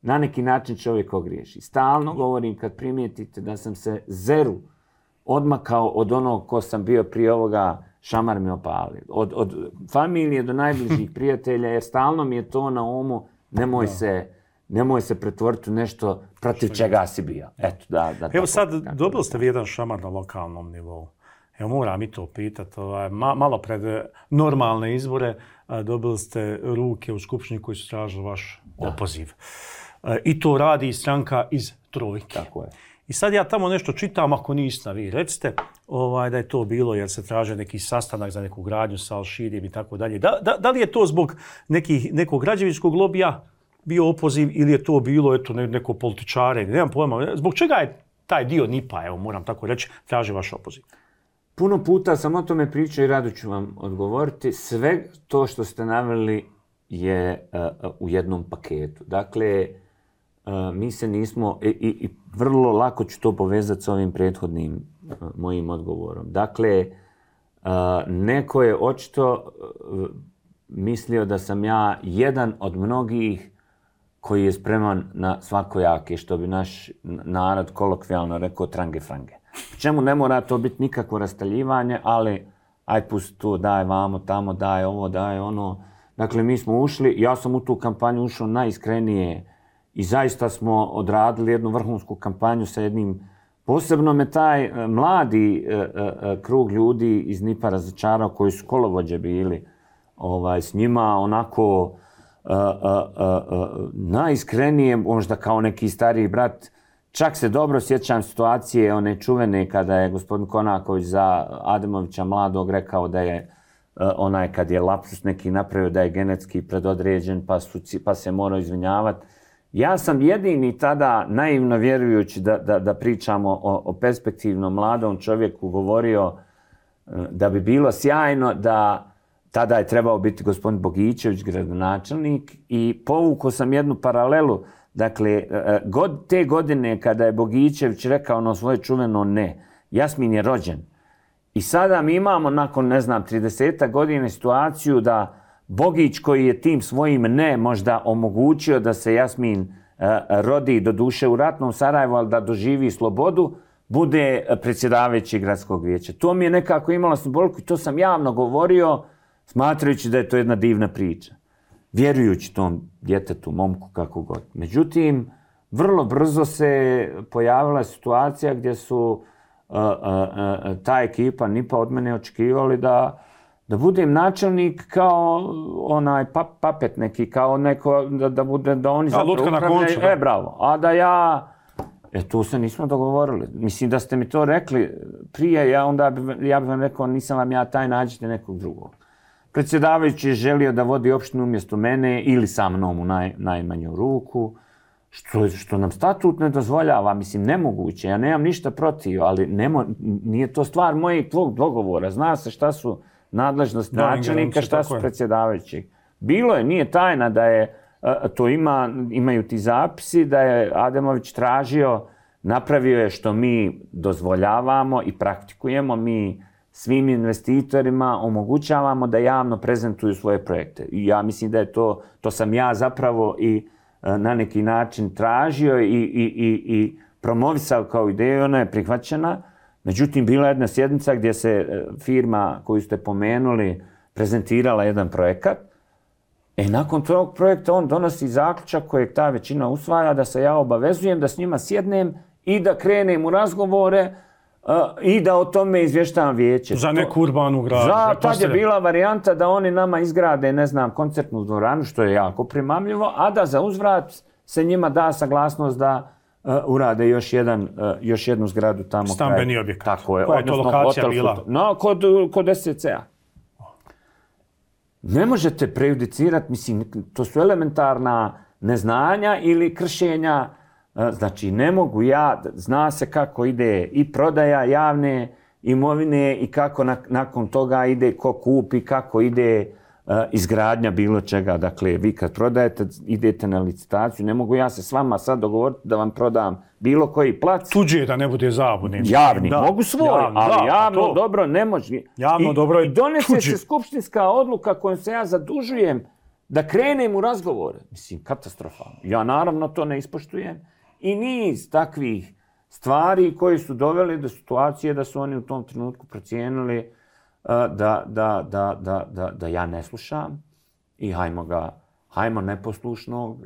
na neki način čovjek ogriješi. Stalno govorim kad primijetite da sam se zeru odmakao od onog ko sam bio prije ovoga, šamar me opalio. Od familije do najbližih prijatelja, jer stalno mi je to na umu, nemoj se pretvoriti u nešto protiv čega si bio. Eto, Evo sad, dobili ste vi jedan šamar na lokalnom nivou. Evo, moram i to pitati. Malo pred normalne izbore dobili ste ruke u skupštini koji su tražili vaš opoziv. I to radi stranka iz Trojke. Tako je. I sad ja tamo nešto čitam, ako niste vi, recite da je to bilo jer se traže neki sastanak za neku gradnju sa Al-Širijem i tako dalje. Da li je to zbog nekog građevinskog lobija bio opoziv ili je to bilo neko političare, nemam pojma. Zbog čega je taj dio NIP-a, evo moram tako reći, traži vaš opoziv? Puno puta sam o tome pričao i rado ću vam odgovoriti. Sve to što ste naveli je u jednom paketu. Dakle, mi se nismo, i vrlo lako ću to povezati s ovim prethodnim mojim odgovorom. Dakle, neko je očito mislio da sam ja jedan od mnogih koji je spreman na svakojake, što bi naš narod kolokvijalno rekao trange-frange. Čemu ne mora to biti nikakvo rastaljivanje, ali aj pusti tu, daj vamo, tamo, daj ovo, daj ono. Dakle, mi smo ušli, ja sam u tu kampanju ušao najiskrenije i zaista smo odradili jednu vrhunsku kampanju sa jednim, posebno me taj mladi krug ljudi iz NIP-a razočarao koji su kolovođe bili s njima onako najiskrenije, možda kao neki stariji brat. Čak se dobro sjećam situacije one čuvene kada je gospodin Konaković za Ademovića mladog rekao da je onaj kad je lapsus neki napravio da je genetski predodređen pa se morao izvinjavati. Ja sam jedini tada, naivno vjerujući da pričamo o perspektivnom mladom čovjeku, govorio da bi bilo sjajno da tada je trebao biti gospodin Bogićević, gradonačelnik, i povukao sam jednu paralelu. Dakle, te godine kada je Bogićević rekao ono svoje čuveno ne, Jasmin je rođen. I sada mi imamo nakon, 30 godina situaciju da Bogić koji je tim svojim ne možda omogućio da se Jasmin rodi do duše u ratnom Sarajevu, ali da doživi slobodu, bude predsjedavajući gradskog vijeća. To mi je nekako imalo simboliku i to sam javno govorio, smatrajući da je to jedna divna priča. Vjerujući tom djetetu, momku, kako god. Međutim, vrlo brzo se pojavila situacija gdje su ta ekipa NIP-a od mene očekivali da budem načelnik kao onaj papet neki, kao neko, da oni lutka na koncu. Bravo. A da ja, tu se nismo dogovorili. Mislim da ste mi to rekli prije, ja bih vam rekao, nisam vam ja taj, nađite nekog drugog. Predsjedavajući je želio da vodi opštinu umjesto mene ili sa mnom u najmanju ruku, što nam statut ne dozvoljava, mislim, nemoguće. Ja nemam ništa protiv, ali nije to stvar mojeg tvog dogovora. Zna se šta su nadležnost načelnika, šta su predsjedavajućeg. Bilo je, nije tajna da je, to imaju ti zapisi, da je Ademović tražio, napravio je što mi dozvoljavamo i praktikujemo, mi svim investitorima omogućavamo da javno prezentuju svoje projekte. I ja mislim da je to sam ja zapravo i na neki način tražio i promovisao kao ideju, ona je prihvaćena. Međutim, bila je jedna sjednica gdje se firma koju ste pomenuli prezentirala jedan projekat. Nakon tog projekta on donosi zaključak kojeg ta većina usvaja da se ja obavezujem da s njima sjednem i da krenem u razgovore i da o tome izvještavam vijeće. Za neku urbanu gradnju. Tad je bila varijanta da oni nama izgrade, koncertnu dvoranu, što je jako primamljivo, a da za uzvrat se njima da saglasnost da urade još jednu zgradu tamo. Stambeni objekat. Tako je. Koja je to lokacija bila? Kod SCC-a. Ne možete prejudicirati, mislim, to su elementarna neznanja ili kršenja. Znači, ne mogu ja, zna se kako ide i prodaja javne imovine i kako nakon toga ide ko kupi, kako ide izgradnja bilo čega. Dakle, vi kad prodajete, idete na licitaciju, ne mogu ja se s vama sad dogovoriti da vam prodam bilo koji plac. Tuđe da ne bude zabune. Javni, mogu svoj, ali javno dobro ne može. Javno dobro je tuđe. I donese se skupštinska odluka kojom se ja zadužujem da krenem u razgovore. Mislim, katastrofalno. Ja naravno to ne ispoštujem. I niz takvih stvari koji su doveli do situacije da su oni u tom trenutku procijenili da ja ne slušam i hajmo neposlušnog.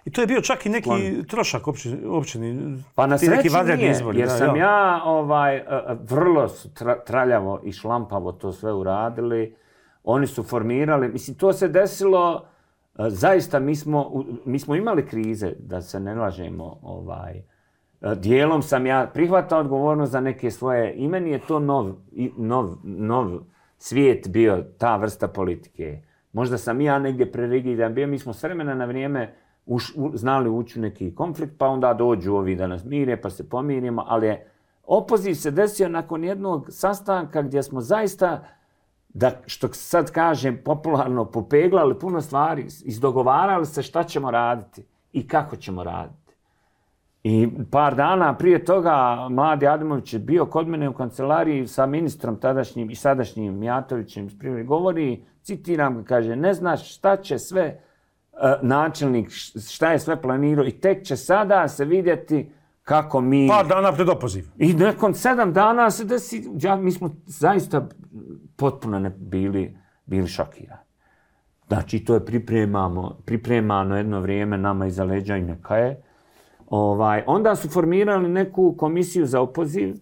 I to je bio čak i neki trošak općini. Pa na sreći nije, izbori, jer sam ja vrlo traljavo i šlampavo to sve uradili. Oni su formirali, mislim, to se desilo, zaista mi smo imali krize, da se ne lažemo, dijelom sam ja prihvatao odgovornost za neke svoje, i meni je to nov svijet bio, ta vrsta politike. Možda sam ja negdje prerigidan bio, mi smo s vremena na vrijeme znali ući u neki konflikt, pa onda dođu ovi da nas mire, pa se pomirimo, ali opoziv se desio nakon jednog sastanka gdje smo zaista, da što sad kažem popularno, popeglali puno stvari, izdogovarali se šta ćemo raditi i kako ćemo raditi. I par dana prije toga mladi Adimović je bio kod mene u kancelariji sa ministrom tadašnjim i sadašnjim Mijatovićem iz Privrede. Govori, citiram ga, kaže, ne znaš šta će sve načelnik, šta je sve planirao i tek će sada se vidjeti kako mi... Par dana pred opoziv. I nakon 7 dana se desi, mi smo zaista potpuno bili šokirani. Znači, to je pripremano jedno vrijeme nama iza leđa i neka je. Onda su formirali neku komisiju za opoziv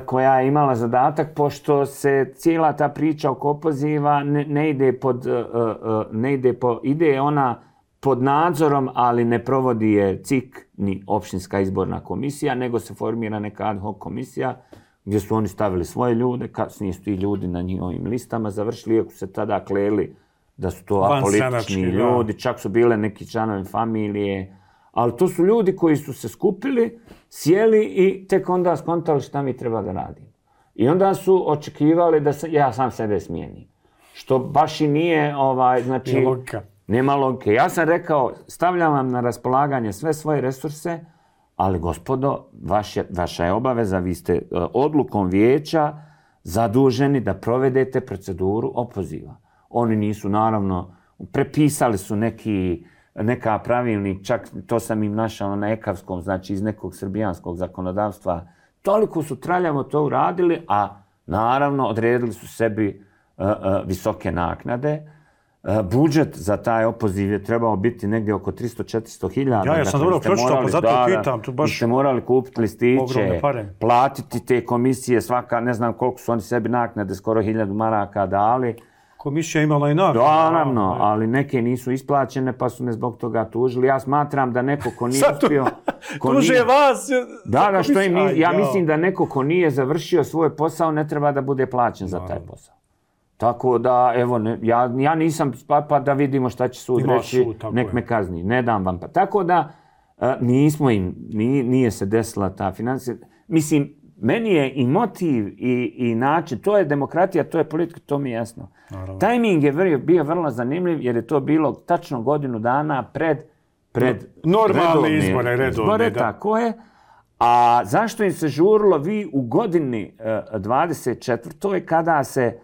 koja je imala zadatak, pošto se cijela ta priča oko opoziva ide ona pod nadzorom, ali ne provodi je CIK ni općinska izborna komisija, nego se formira neka ad hoc komisija gdje su oni stavili svoje ljude, kasnije su ti ljudi na njihovim listama završili, iako se tada kleli da su to apolitični ljudi, čak su bile neki članovi familije, ali to su ljudi koji su se skupili, sjeli i tek onda skontali šta mi treba da radimo. I onda su očekivali da ja sam sebe smijenim. Što baš i nije, znači, nema logike. Ja sam rekao, stavljam vam na raspolaganje sve svoje resurse, ali gospodo, vaša je obaveza, vi ste odlukom vijeća zaduženi da provedete proceduru opoziva. Oni nisu, naravno, prepisali su neka pravilnik, čak to sam im našao na ekavskom, znači iz nekog srbijanskog zakonodavstva. Toliko su traljavo to uradili, a naravno odredili su sebi visoke naknade. Budžet za taj opoziv je trebao biti negdje oko 300-400 hiljada. Ja sam dobro pročitao, pa zato pitam. Tu baš ste morali kupiti listiće, platiti te komisije, svaka, ne znam koliko su oni sebi naknade, skoro 1000 maraka dali. Komisija imala i naknade. Naravno, ali neke nisu isplaćene, pa su me zbog toga tužili. Ja smatram da neko ko nije uspio... Tuže vas! Da, što im ja mislim da neko ko nije završio svoj posao ne treba da bude plaćen za taj posao. Tako da, evo, ja nisam pa da vidimo šta će sud reći, nek me kazni. Ne dam vam pa. Tako da, nije se desila ta financija. Mislim, meni je i motiv i način, to je demokratija, to je politika, to mi je jasno. Tajming je bio vrlo zanimljiv jer je to bilo tačno godinu dana pred normalne izbore, redovne. Tako je. A zašto im se žurilo? Vi u godini 24. kada se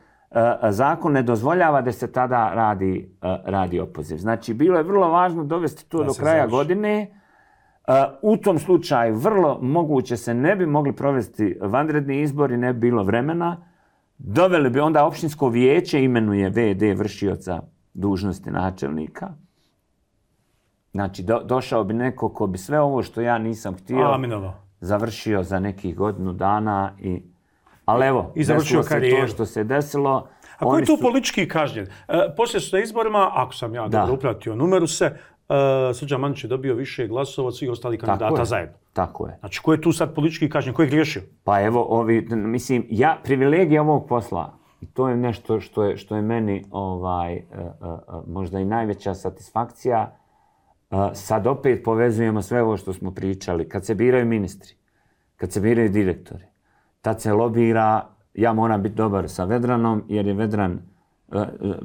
zakon ne dozvoljava da se tada radi opoziv. Znači, bilo je vrlo važno dovesti to do kraja godine. U tom slučaju vrlo moguće se ne bi mogli provesti vanredni izbori, ne bi bilo vremena. Doveli bi onda općinsko vijeće, imenuje VD vršioca dužnosti načelnika. Znači, došao bi neko ko bi sve ovo što ja nisam htio završio za nekih godinu dana ali evo, desilo se to što se desilo. A ko je tu politički kažnjen? Poslije su na izborima, ako sam ja dobro upratio numeru se, Srđan Mandić je dobio više glasova od svih ostalih kandidata zajedno. Tako je. Znači, ko je tu sad politički kažnjen? Ko je griješio? Pa evo, privilegija ovog posla, to je nešto što je meni možda i najveća satisfakcija. Sad opet povezujemo sve ovo što smo pričali. Kad se biraju ministri, kad se biraju direktori, tad se lobira, ja moram biti dobar sa Vedranom, jer je Vedran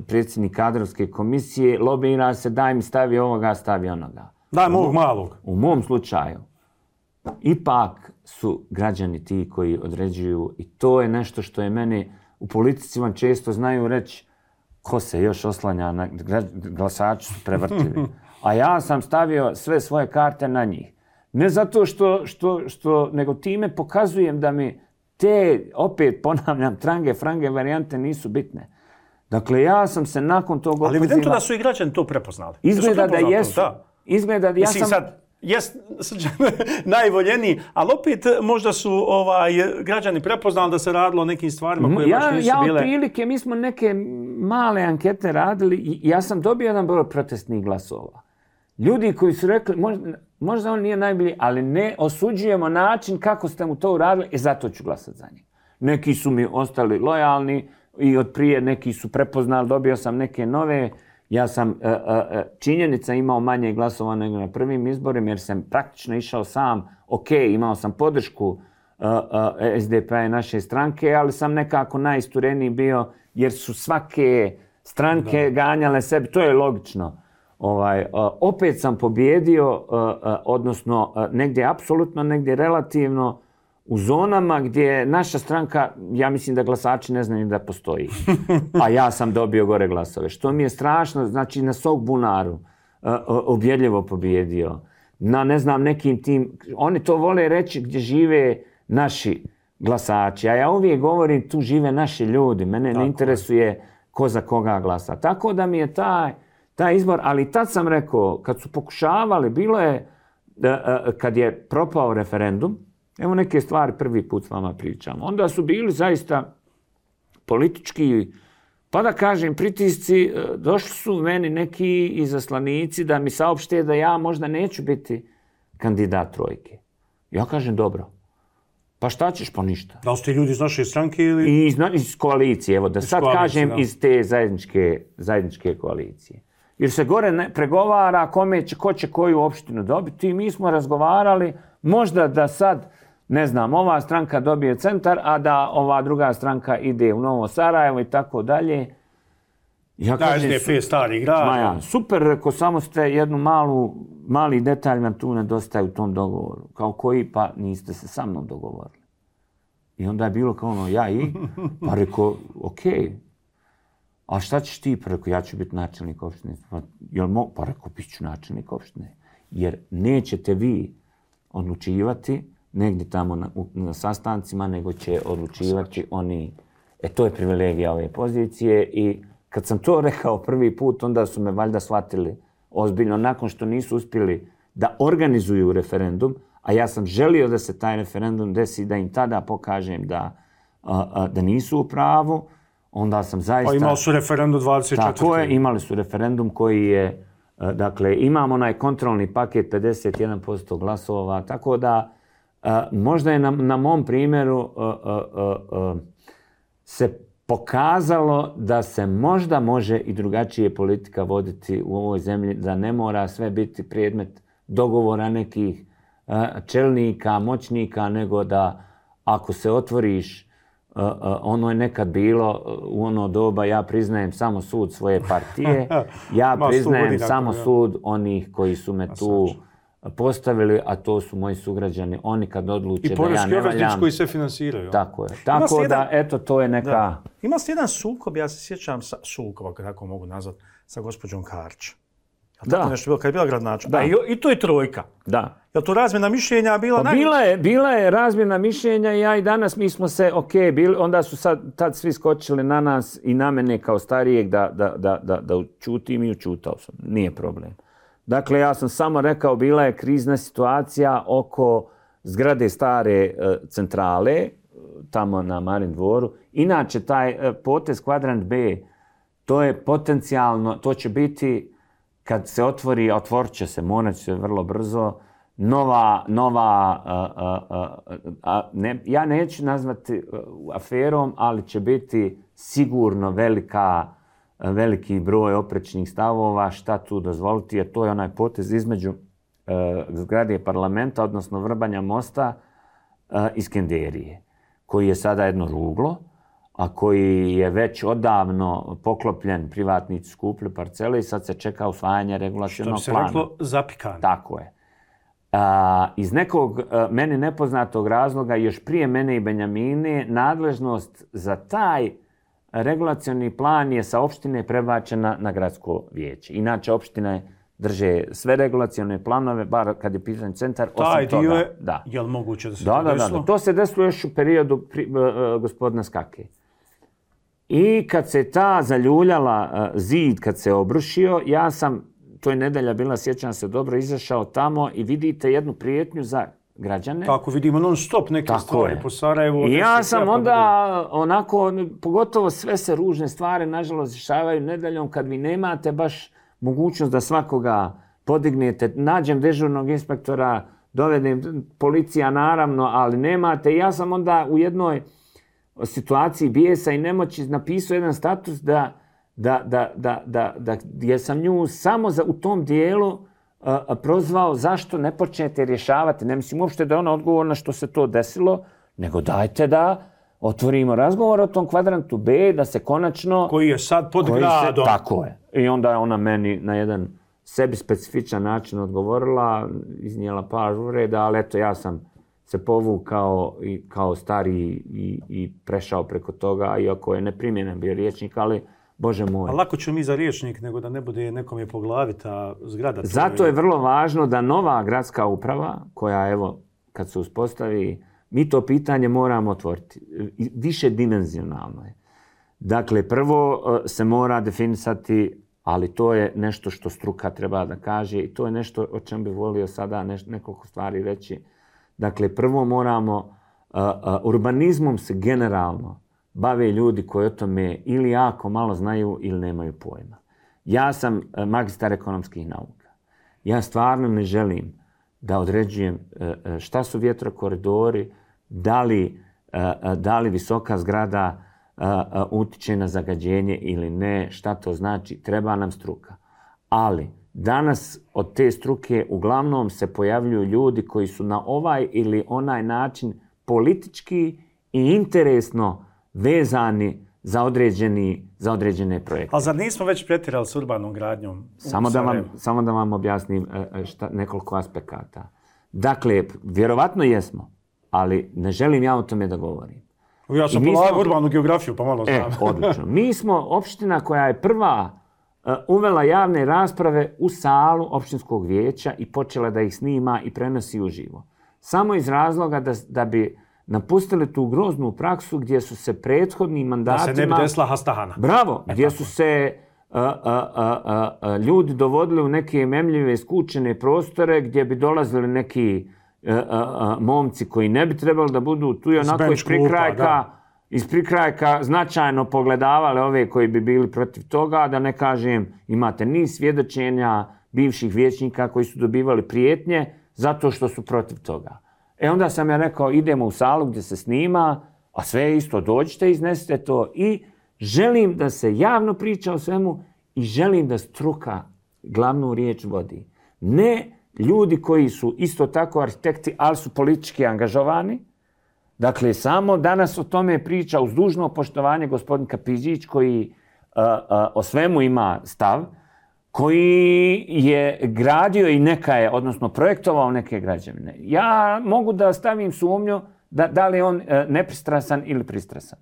predsjednik kadrovske komisije, lobira se, daj mi stavi ovoga, stavi onoga. Daj mi ovog malog. U mom slučaju, ipak su građani ti koji određuju i to je nešto što je meni, u politici vam često znaju reći, ko se još oslanja na glasači su prevrtljivi. A ja sam stavio sve svoje karte na njih. Ne zato što nego time pokazujem da mi te, opet ponavljam, trange, frange varijante nisu bitne. Dakle, ja sam se nakon tog opoziva... Ali evidentno da su i građani to prepoznali. Izgleda da jesu. Izgleda da ja Mislim, sad, jest Srđan najvoljeniji, ali opet možda su građani prepoznali da se radilo o nekim stvarima koje baš nisu bile... Ja otprilike, mi smo neke male ankete radili i ja sam dobio jedan broj protestnih glasova. Ljudi koji su rekli, možda on nije najbolji, ali ne osuđujemo način kako ste mu to uradili i zato ću glasati za njih. Neki su mi ostali lojalni i od prije neki su prepoznali, dobio sam neke nove. Ja sam činjenica imao manje glasova nego na prvim izborima jer sam praktično išao sam. Ok, imao sam podršku SDP-a i naše stranke, ali sam nekako najistureniji bio jer su svake stranke ganjale sebi. To je logično. Opet sam pobjedio, odnosno negdje apsolutno, negdje relativno, u zonama gdje naša stranka, ja mislim da glasači ne znaju da postoji. A ja sam dobio gore glasove. Što mi je strašno, znači na Sogbunaru ubjedljivo pobjedio. Na ne znam nekim tim, oni to vole reći gdje žive naši glasači. A ja uvijek govorim tu žive naši ljudi. Mene ne interesuje ko za koga glasa. Tako da mi je taj izbor, ali tad sam rekao, kad su pokušavali, bilo je, kad je propao referendum, evo neke stvari prvi put s vama pričam, onda su bili zaista politički, pa da kažem, pritisci, došli su meni neki izaslanici da mi saopšte da ja možda neću biti kandidat trojke. Ja kažem, dobro. Pa šta ćeš, pa ništa. Da li ste ljudi iz naše stranke ili... Iz koalicije, evo da sad kažem iz te zajedničke koalicije. Jer se gore pregovara ko će koju opštinu dobiti i mi smo razgovarali možda da sad, ne znam, ova stranka dobije centar, a da ova druga stranka ide u Novo Sarajevo i tako dalje. Ja kažem, SDP stari grad. Super, rekao, samo ste jednu mali detalj nam tu nedostaje u tom dogovoru. Kao koji, pa niste se sa mnom dogovorili. I onda je bilo kao ono, pa rekao, okej. A šta ćeš ti? Pa rekao, ja ću biti načelnik opštine. Pa rekao, bit ću načelnik opštine. Jer nećete vi odlučivati negdje tamo na sastancima, nego će odlučivati oni. To je privilegija ove pozicije i kad sam to rekao prvi put, onda su me valjda shvatili ozbiljno, nakon što nisu uspjeli da organizuju referendum, a ja sam želio da se taj referendum desi, da im tada pokažem da nisu u pravu, onda sam zaista... Pa imali su referendum 24. Tako je, imali su referendum koji je, dakle, imamo onaj kontrolni paket 51% glasova, tako da možda je na mom primjeru se pokazalo da se možda može i drugačije politika voditi u ovoj zemlji, da ne mora sve biti predmet dogovora nekih čelnika, moćnika, nego da ako se otvoriš, ono je nekad bilo u ono doba, ja priznajem samo sud svoje partije, ja priznajem samo sud onih koji su me tu postavili, a to su moji sugrađani. Oni kad odluče da ja ne valjam... I poreski obveznici koji se finansiraju. Tako je. Tako da, eto, to je neka... Ima se jedan sukob, ja se sjećam sukoba, kako mogu nazvati, sa gospođom Karč. Tako nešto bilo, kad je bila gradonačelnica. I to je trojka. Da. Je li to razmjena mišljenja bila... Bila je razmjena mišljenja i ja i danas mi smo se, onda su tad svi skočili na nas i na mene kao starijeg da učutim i učutao sam. Nije problem. Dakle, ja sam samo rekao, bila je krizna situacija oko zgrade stare centrale, tamo na Marin dvoru. Inače, taj potez kvadrant B, to je potencijalno, to će biti, kad se otvori, otvorit će se, morat će se vrlo brzo, ja neću nazvati aferom, ali će biti sigurno veliki broj oprečnih stavova, šta tu dozvoliti, jer to je onaj potez između zgrade parlamenta, odnosno Vrbanja mosta i Skenderije, koji je sada jedno ruglo, a koji je već odavno poklopljen, privatnici su kupili parcele i sad se čeka usvajanje regulacionog plana. Što bi se reklo, zapikano. Tako je. Iz nekog meni nepoznatog razloga, još prije mene i Benjamine, nadležnost za taj regulacioni plan je sa opštine prebačena na gradsko vijeće. Inače, opštine drže sve regulacione planove, bar kad je pitan centar, taj osim toga. dio je, da. Je li moguće da se to desilo? Da. To se desilo još u periodu gospodina Skake. I kad se ta zaljuljala zid, kad se obrušio, ja sam, to je nedelja bila, sjećam se dobro, izašao tamo i vidite jednu prijetnju za građane. Tako vidimo non stop neke stvari po Sarajevu. I ja sam onda onako, pogotovo sve se ružne stvari nažalost dešavaju nedeljom kad vi nemate baš mogućnost da svakoga podignete. Nađem dežurnog inspektora, dovedem policija naravno, ali nemate. I ja sam onda u jednoj situaciji bijesa i nemoći napisao jedan status gdje sam nju samo u tom dijelu prozvao zašto ne počnete rješavati. Ne mislim uopšte da je ona odgovorna što se to desilo, nego dajte da otvorimo razgovor o tom kvadrantu B, da se konačno... Koji je sad pod gradom. Tako je. I onda je ona meni na jedan sebi specifičan način odgovorila, iznijela par uvreda, ali eto ja sam se povukao kao stariji i prešao preko toga, iako je neprimjenen bio rječnik, ali Bože moj. A lako ću mi za rječnik nego da ne bude nekom je po glavi ta zgrada. Zato je vrlo važno da nova gradska uprava, koja evo kad se uspostavi, mi to pitanje moramo otvoriti. Više dimenzionalno je. Dakle, prvo se mora definisati, ali to je nešto što struka treba da kaže i to je nešto o čem bih volio sada nekoliko stvari reći. Dakle, prvo moramo, urbanizmom se generalno bave ljudi koji o tome ili jako malo znaju ili nemaju pojma. Ja sam magistar ekonomskih nauka. Ja stvarno ne želim da određujem šta su vjetrokoridori, da li visoka zgrada utiče na zagađenje ili ne, šta to znači, treba nam struka. Ali danas od te struke uglavnom se pojavljuju ljudi koji su na ovaj ili onaj način politički i interesno vezani za određene projekte. Ali zar nismo već pretjerali s urbanom gradnjom? Samo da vam objasnim nekoliko aspekata. Dakle, vjerovatno jesmo, ali ne želim ja o tome da govorim. Ja sam polagao urbanu geografiju, pa malo znam. Odlično. Mi smo opština koja je prva uvela javne rasprave u salu opštinskog vijeća i počela da ih snima i prenosi uživo. Samo iz razloga da bi napustili tu groznu praksu gdje su se prethodnim mandatima... Da se ne bi desila Hastahana. Bravo, gdje su se ljudi dovodili u neke memljive, skučene prostore gdje bi dolazili neki momci koji ne bi trebali da budu tu i onako iz prikrajka značajno pogledavali ove koji bi bili protiv toga, da ne kažem imate niz svjedočenja bivših vijećnika koji su dobivali prijetnje zato što su protiv toga. Onda sam ja rekao idemo u salu gdje se snima, a sve isto dođite, iznesite to i želim da se javno priča o svemu i želim da struka glavnu riječ vodi. Ne ljudi koji su isto tako arhitekti, ali su politički angažovani. Dakle, samo danas o tome priča uz dužno poštovanje gospodin Kapidžić koji o svemu ima stav, koji je gradio i odnosno projektovao neke građevine. Ja mogu da stavim sumnju da li je on nepristrasan ili pristrasan.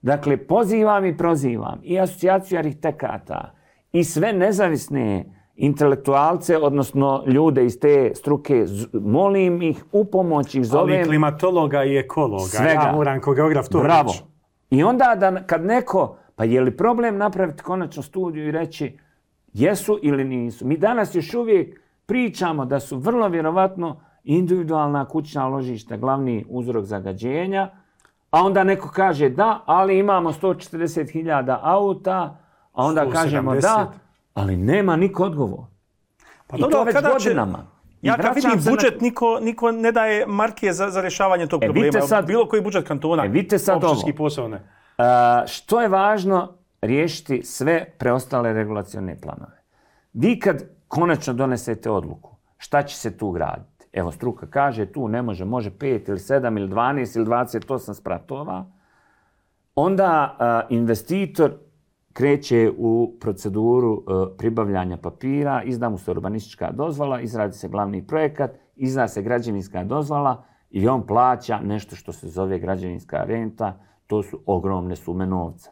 Dakle, pozivam i prozivam i asocijaciju arhitekata i sve nezavisne intelektualce, odnosno ljude iz te struke, molim ih u pomoć ih zovem... Ali klimatologa i ekologa. Svega. Ja moram kao geograf to Bravo. reći. I onda kad neko, pa je li problem napraviti konačno studiju i reći jesu ili nisu? Mi danas još uvijek pričamo da su vrlo vjerovatno individualna kućna ložišta glavni uzrok zagađenja, a onda neko kaže da, ali imamo 140.000 auta, a onda 170. kažemo da, ali nema niko odgovor. Pa i to već godinama. Ja kad vidim budžet, niko ne daje marke za rješavanje tog problema. Bilo koji budžet kantona, opštinski posao ne. Što je važno riješiti sve preostale regulacione planove. Vi kad konačno donesete odluku, šta će se tu graditi? Evo, struka kaže tu ne može 5 ili 7 ili 12 ili 28 spratova. Onda investitor kreće u proceduru pribavljanja papira, izda mu se urbanistička dozvola, izradi se glavni projekat, izda se građevinska dozvola i on plaća nešto što se zove građevinska renta, to su ogromne sume novca.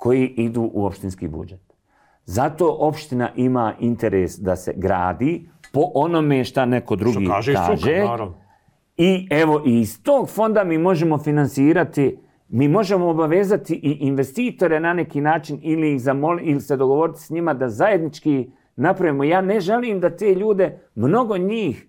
koji idu u opštinski budžet. Zato opština ima interes da se gradi po onome šta neko drugi kaže. I evo, iz tog fonda mi možemo finansirati, mi možemo obavezati i investitore na neki način ili se dogovoriti s njima da zajednički napravimo. Ja ne želim da te ljude, mnogo njih,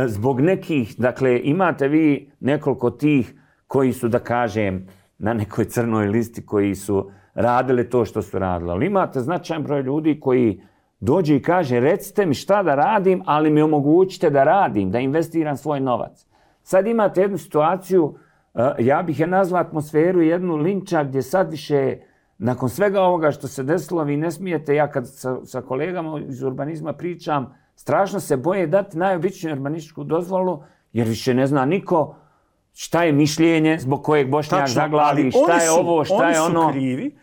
zbog nekih, dakle, imate vi nekoliko tih koji su, da kažem, na nekoj crnoj listi, koji su radili to što su radili. Ali imate značajan broj ljudi koji dođe i kaže, recite mi šta da radim, ali mi omogućite da radim, da investiram svoj novac. Sad imate jednu situaciju, ja bih je nazvao atmosferu jednu linča gdje sad više, nakon svega ovoga što se desilo, vi ne smijete, ja kad sa kolegama iz urbanizma pričam, strašno se boje dati najobičniju urbanističku dozvolu, jer više ne zna niko šta je mišljenje zbog kojeg Bošnjak zaglavi, šta je ovo, šta je ono. Oni su krivi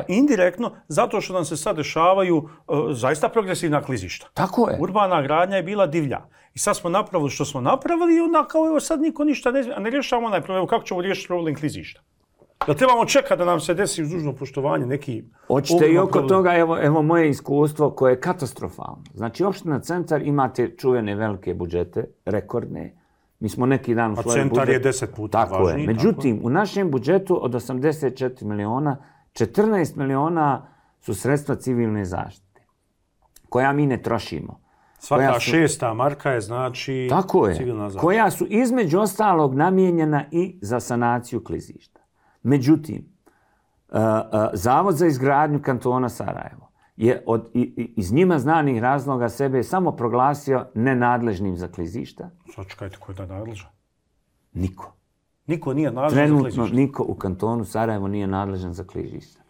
indirektno zato što nam se sad dešavaju zaista progresivna klizišta. Tako je. Urbana gradnja je bila divlja. I sad smo napravili što smo napravili i onda kao evo sad niko ništa ne rješavamo onaj problem. Kako ćemo riješiti problem klizišta? Da trebamo čekati da nam se desi uz dužno poštovanje neki... Hoćete i oko toga, evo moje iskustvo koje je katastrofalno. Znači, opština Centar imate čuvene velike budžete, rekordne. Mi smo neki dan u svojoj budžetu... A Centar je 10 puta važniji. Međutim, u našem budžetu od 84 miliona, 14 miliona su sredstva civilne zaštite, koja mi ne trošimo. Svaka šesta marka je znači civilna zaštita. Koja su između ostalog namijenjena i za sanaciju klizišta. Međutim, Zavod za izgradnju kantona Sarajevo je iz njima znanih razloga sebe samo proglasio nenadležnim za klizišta. Sad čekajte, ko je da nadležan? Niko. Niko nije nadležan za klizišta? Trenutno niko u kantonu Sarajevo nije nadležan za klizišta.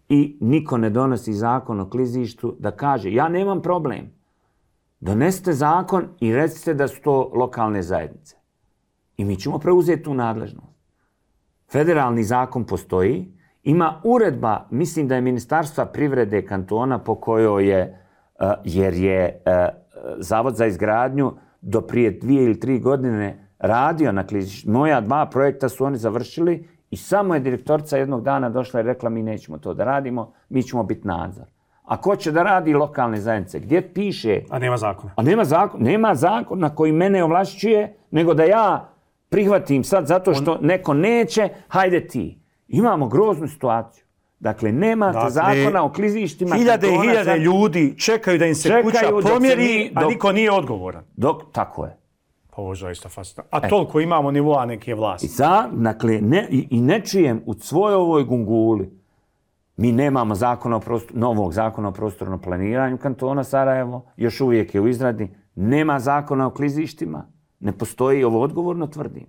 I niko ne donosi zakon o klizištu da kaže, ja nemam problem. Donesite zakon i recite da su to lokalne zajednice. I mi ćemo preuzeti tu nadležnost. Federalni zakon postoji, ima uredba, mislim da je Ministarstva privrede kantona po kojoj je, jer je Zavod za izgradnju do prije 2 ili 3 godine radio na klizištu. Moja 2 projekta su oni završili i samo je direktorica jednog dana došla i rekla mi nećemo to da radimo, mi ćemo biti nadzor. A ko će da radi lokalne zajednice? Gdje piše? A nema zakona. Nema zakona koji mene ovlašćuje, nego da ja prihvatim sad zato što neko neće, hajde ti. Imamo groznu situaciju. Dakle, nemate zakona o klizištima. Hiljade ljudi čekaju da im se kuća pomjeri, a niko nije odgovoran. Tako je. Pa ovo je zaista fascinantno. A toliko imamo nivoa neke vlasti. Dakle, i ne čujem u svojoj ovoj gunguli. Mi nemamo novog zakona o prostornom planiranju kantona Sarajevo, još uvijek je u izradi. Nema zakona o klizištima, ne postoji, ovo odgovorno tvrdim.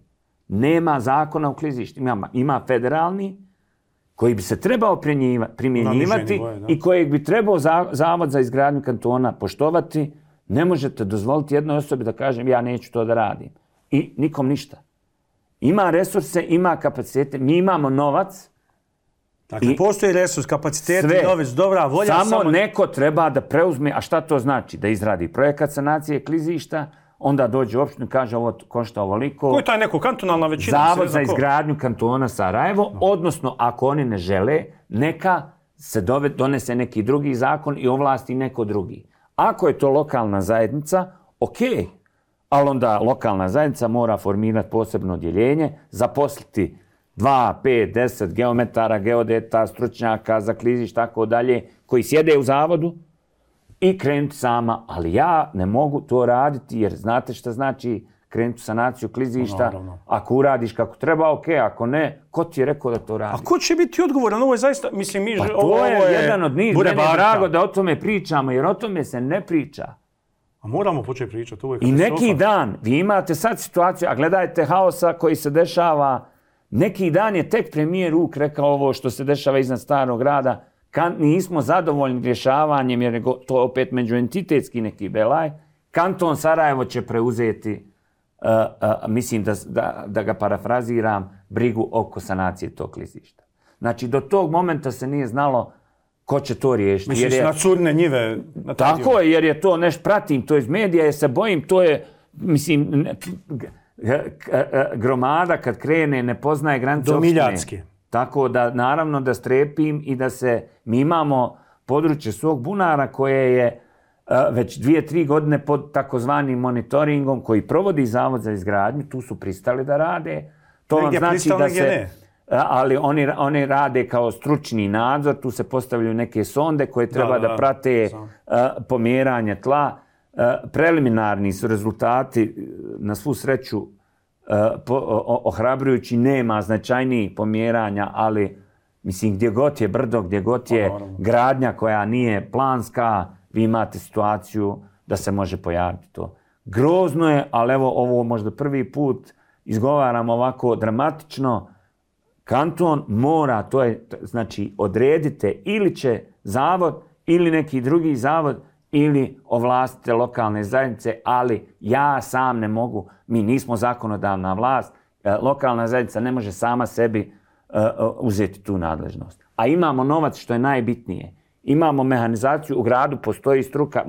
Nema zakona o klizištima. Ima federalni, koji bi se trebao primjenjivati i kojeg bi trebao Zavod za izgradnju kantona poštovati. Ne možete dozvoliti jednoj osobi da kažem ja neću to da radim. I nikom ništa. Ima resurse, ima kapacitete, mi imamo novac. Dakle, postoji resurs, kapaciteti, novac, dobra volja. Samo neko treba da preuzme, a šta to znači? Da izradi projekat sanacije klizišta, onda dođe u opštinu i kaže ovo košta ovoliko. Ko je taj neko kantonalna većina? Zavod za izgradnju kantona Sarajevo, odnosno ako oni ne žele, neka se donese neki drugi zakon i ovlasti neko drugi. Ako je to lokalna zajednica, ok, ali onda lokalna zajednica mora formirati posebno odjeljenje, zaposliti 2, 5, 10 geometara, geodeta, stručnjaka za klizišta, tako dalje, koji sjede u zavodu i krenuti sama. Ali ja ne mogu to raditi jer znate šta znači krenuti u sanaciju klizišta. Ako uradiš kako treba, ok, ako ne, ko ti je rekao da to radi? A ko će biti odgovoran? Ovo je zaista, mislim, to je jedan od njih. Meni je drago da o tome pričamo, jer o tome se ne priča. A moramo početi pričati. I neki dan, vi imate sad situaciju, a gledajte haosa koji se dešava. Neki dan je tek premijer Uk rekao ovo što se dešava iznad Starog grada. Nismo zadovoljni rješavanjem, jer je to opet međuentitetski neki belaj. Kanton Sarajevo će preuzeti, mislim da ga parafraziram, brigu oko sanacije tog klizišta. Znači, do tog momenta se nije znalo ko će to riješiti. Misliš na curne njive? Tako je, jer je to nešto pratim, to iz medija, jer se bojim, to je, mislim, gromada kad krene ne poznaje granice opštine. Do Miljacke. Tako da, naravno, da strepim i da mi imamo područje svog bunara koje je već 2-3 godine pod takozvanim monitoringom koji provodi Zavod za izgradnju, tu su pristali da rade. To vam znači da se... Ali oni rade kao stručni nadzor, tu se postavljaju neke sonde koje treba da prate pomjeranje tla. Preliminarni su rezultati, na svu sreću, ohrabrujući, nema značajnijih pomjeranja, ali mislim gdje god je brdo, gdje god je gradnja koja nije planska, vi imate situaciju da se može pojaviti to. Grozno je, ali evo ovo možda prvi put izgovaram ovako dramatično. Kanton mora, to je, znači odredite ili će zavod ili neki drugi zavod ili ovlastite lokalne zajednice, ali ja sam ne mogu, mi nismo zakonodavna vlast, lokalna zajednica ne može sama sebi uzeti tu nadležnost. A imamo novac, što je najbitnije. Imamo mehanizaciju, u gradu postoji struka,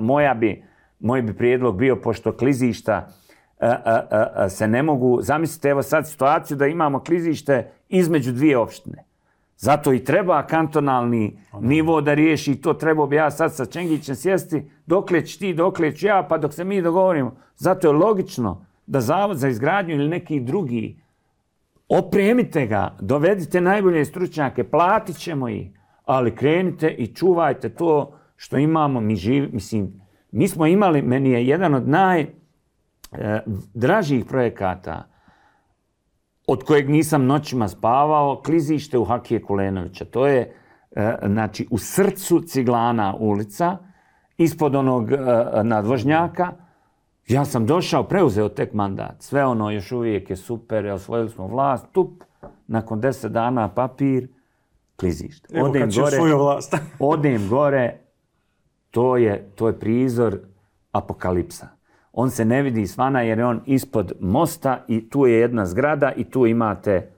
moj bi prijedlog bio, pošto klizišta se ne mogu, zamislite evo sad situaciju da imamo klizište između dvije opštine. Zato i treba kantonalni nivo da riješi to. Trebao bi ja sad sa Čengićem sjesti, dokle ćeš ti, dokle ću ja, pa dok se mi dogovorimo. Zato je logično da Zavod za izgradnju ili neki drugi, opremite ga, dovedite najbolje stručnjake, platit ćemo ih, ali krenite i čuvajte to što imamo. Mi smo imali, meni je jedan od najdražih projekata od kojeg nisam noćima spavao, klizište u Hakije Kulenovića. To je znači, u srcu Ciglana ulica, ispod onog nadvožnjaka. Ja sam došao, preuzeo tek mandat. Sve ono još uvijek je super, osvojili smo vlast, tup, nakon 10 dana papir, klizište. Evo kad će svoju vlast. Odem gore, to je prizor apokalipsa. On se ne vidi svana jer je on ispod mosta i tu je jedna zgrada i tu imate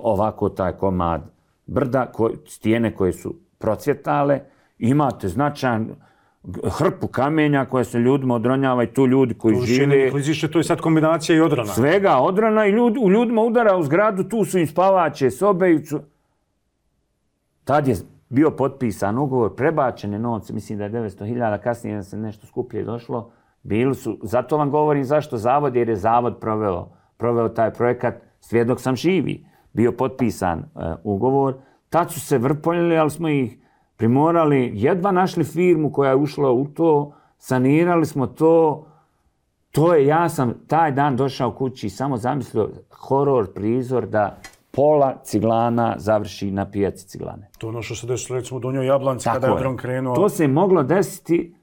ovako taj komad brda, stijene koje su procvjetale. Imate značajan hrpu kamenja koje se ljudima odronjava i tu ljudi koji žive. Klizište, to je sad kombinacija i odrana. Svega odrana i u ljudima udara u zgradu, tu su im spavače, sobe. Tad je bio potpisan ugovor, prebačene novce, mislim da je 900.000, kasnije se nešto skuplje došlo. Bili su, zato vam govorim zašto zavod, jer je zavod proveo taj projekat, svjedok sam živi. Bio potpisan ugovor, tad su se vrpoljili, ali smo ih primorali, jedva našli firmu koja je ušla u to, sanirali smo to. Ja sam taj dan došao kući i samo zamislio horor prizor da pola Ciglana završi na pijaci Ciglane. To ono što se desilo recimo u Donjoj Jablanci kada je dron krenuo. To se moglo desiti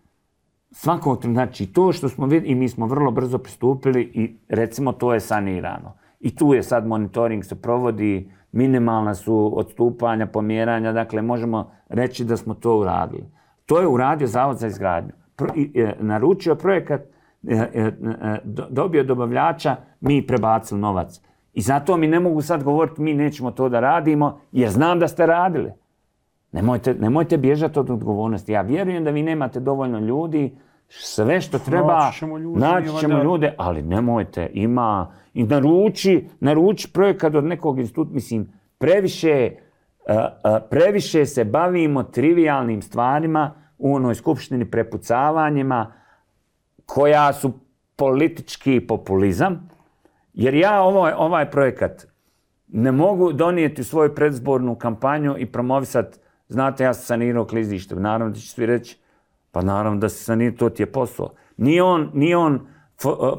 svakog, znači to što smo vidjeli i mi smo vrlo brzo pristupili i recimo to je sanirano. I tu je sad monitoring se provodi, minimalna su odstupanja, pomjeranja, dakle možemo reći da smo to uradili. To je uradio Zavod za izgradnju. Naručio projekat, dobio dobavljača, mi prebacili novac. I zato mi ne mogu sad govoriti mi nećemo to da radimo jer znam da ste radili. Nemojte bježati od odgovornosti. Ja vjerujem da vi nemate dovoljno ljudi, sve što treba, naći ćemo ljude, ali nemojte, ima. I naruči projekat od nekog instituta, mislim, previše se bavimo trivialnim stvarima u onoj skupštini, prepucavanjima, koja su politički populizam, jer ja ovaj projekat ne mogu donijeti u svoju predizbornu kampanju i promovisati. Znate, ja sam sanirao klizište. Naravno da će svi reći, pa naravno da se sanirao, to ti je posao. Nije on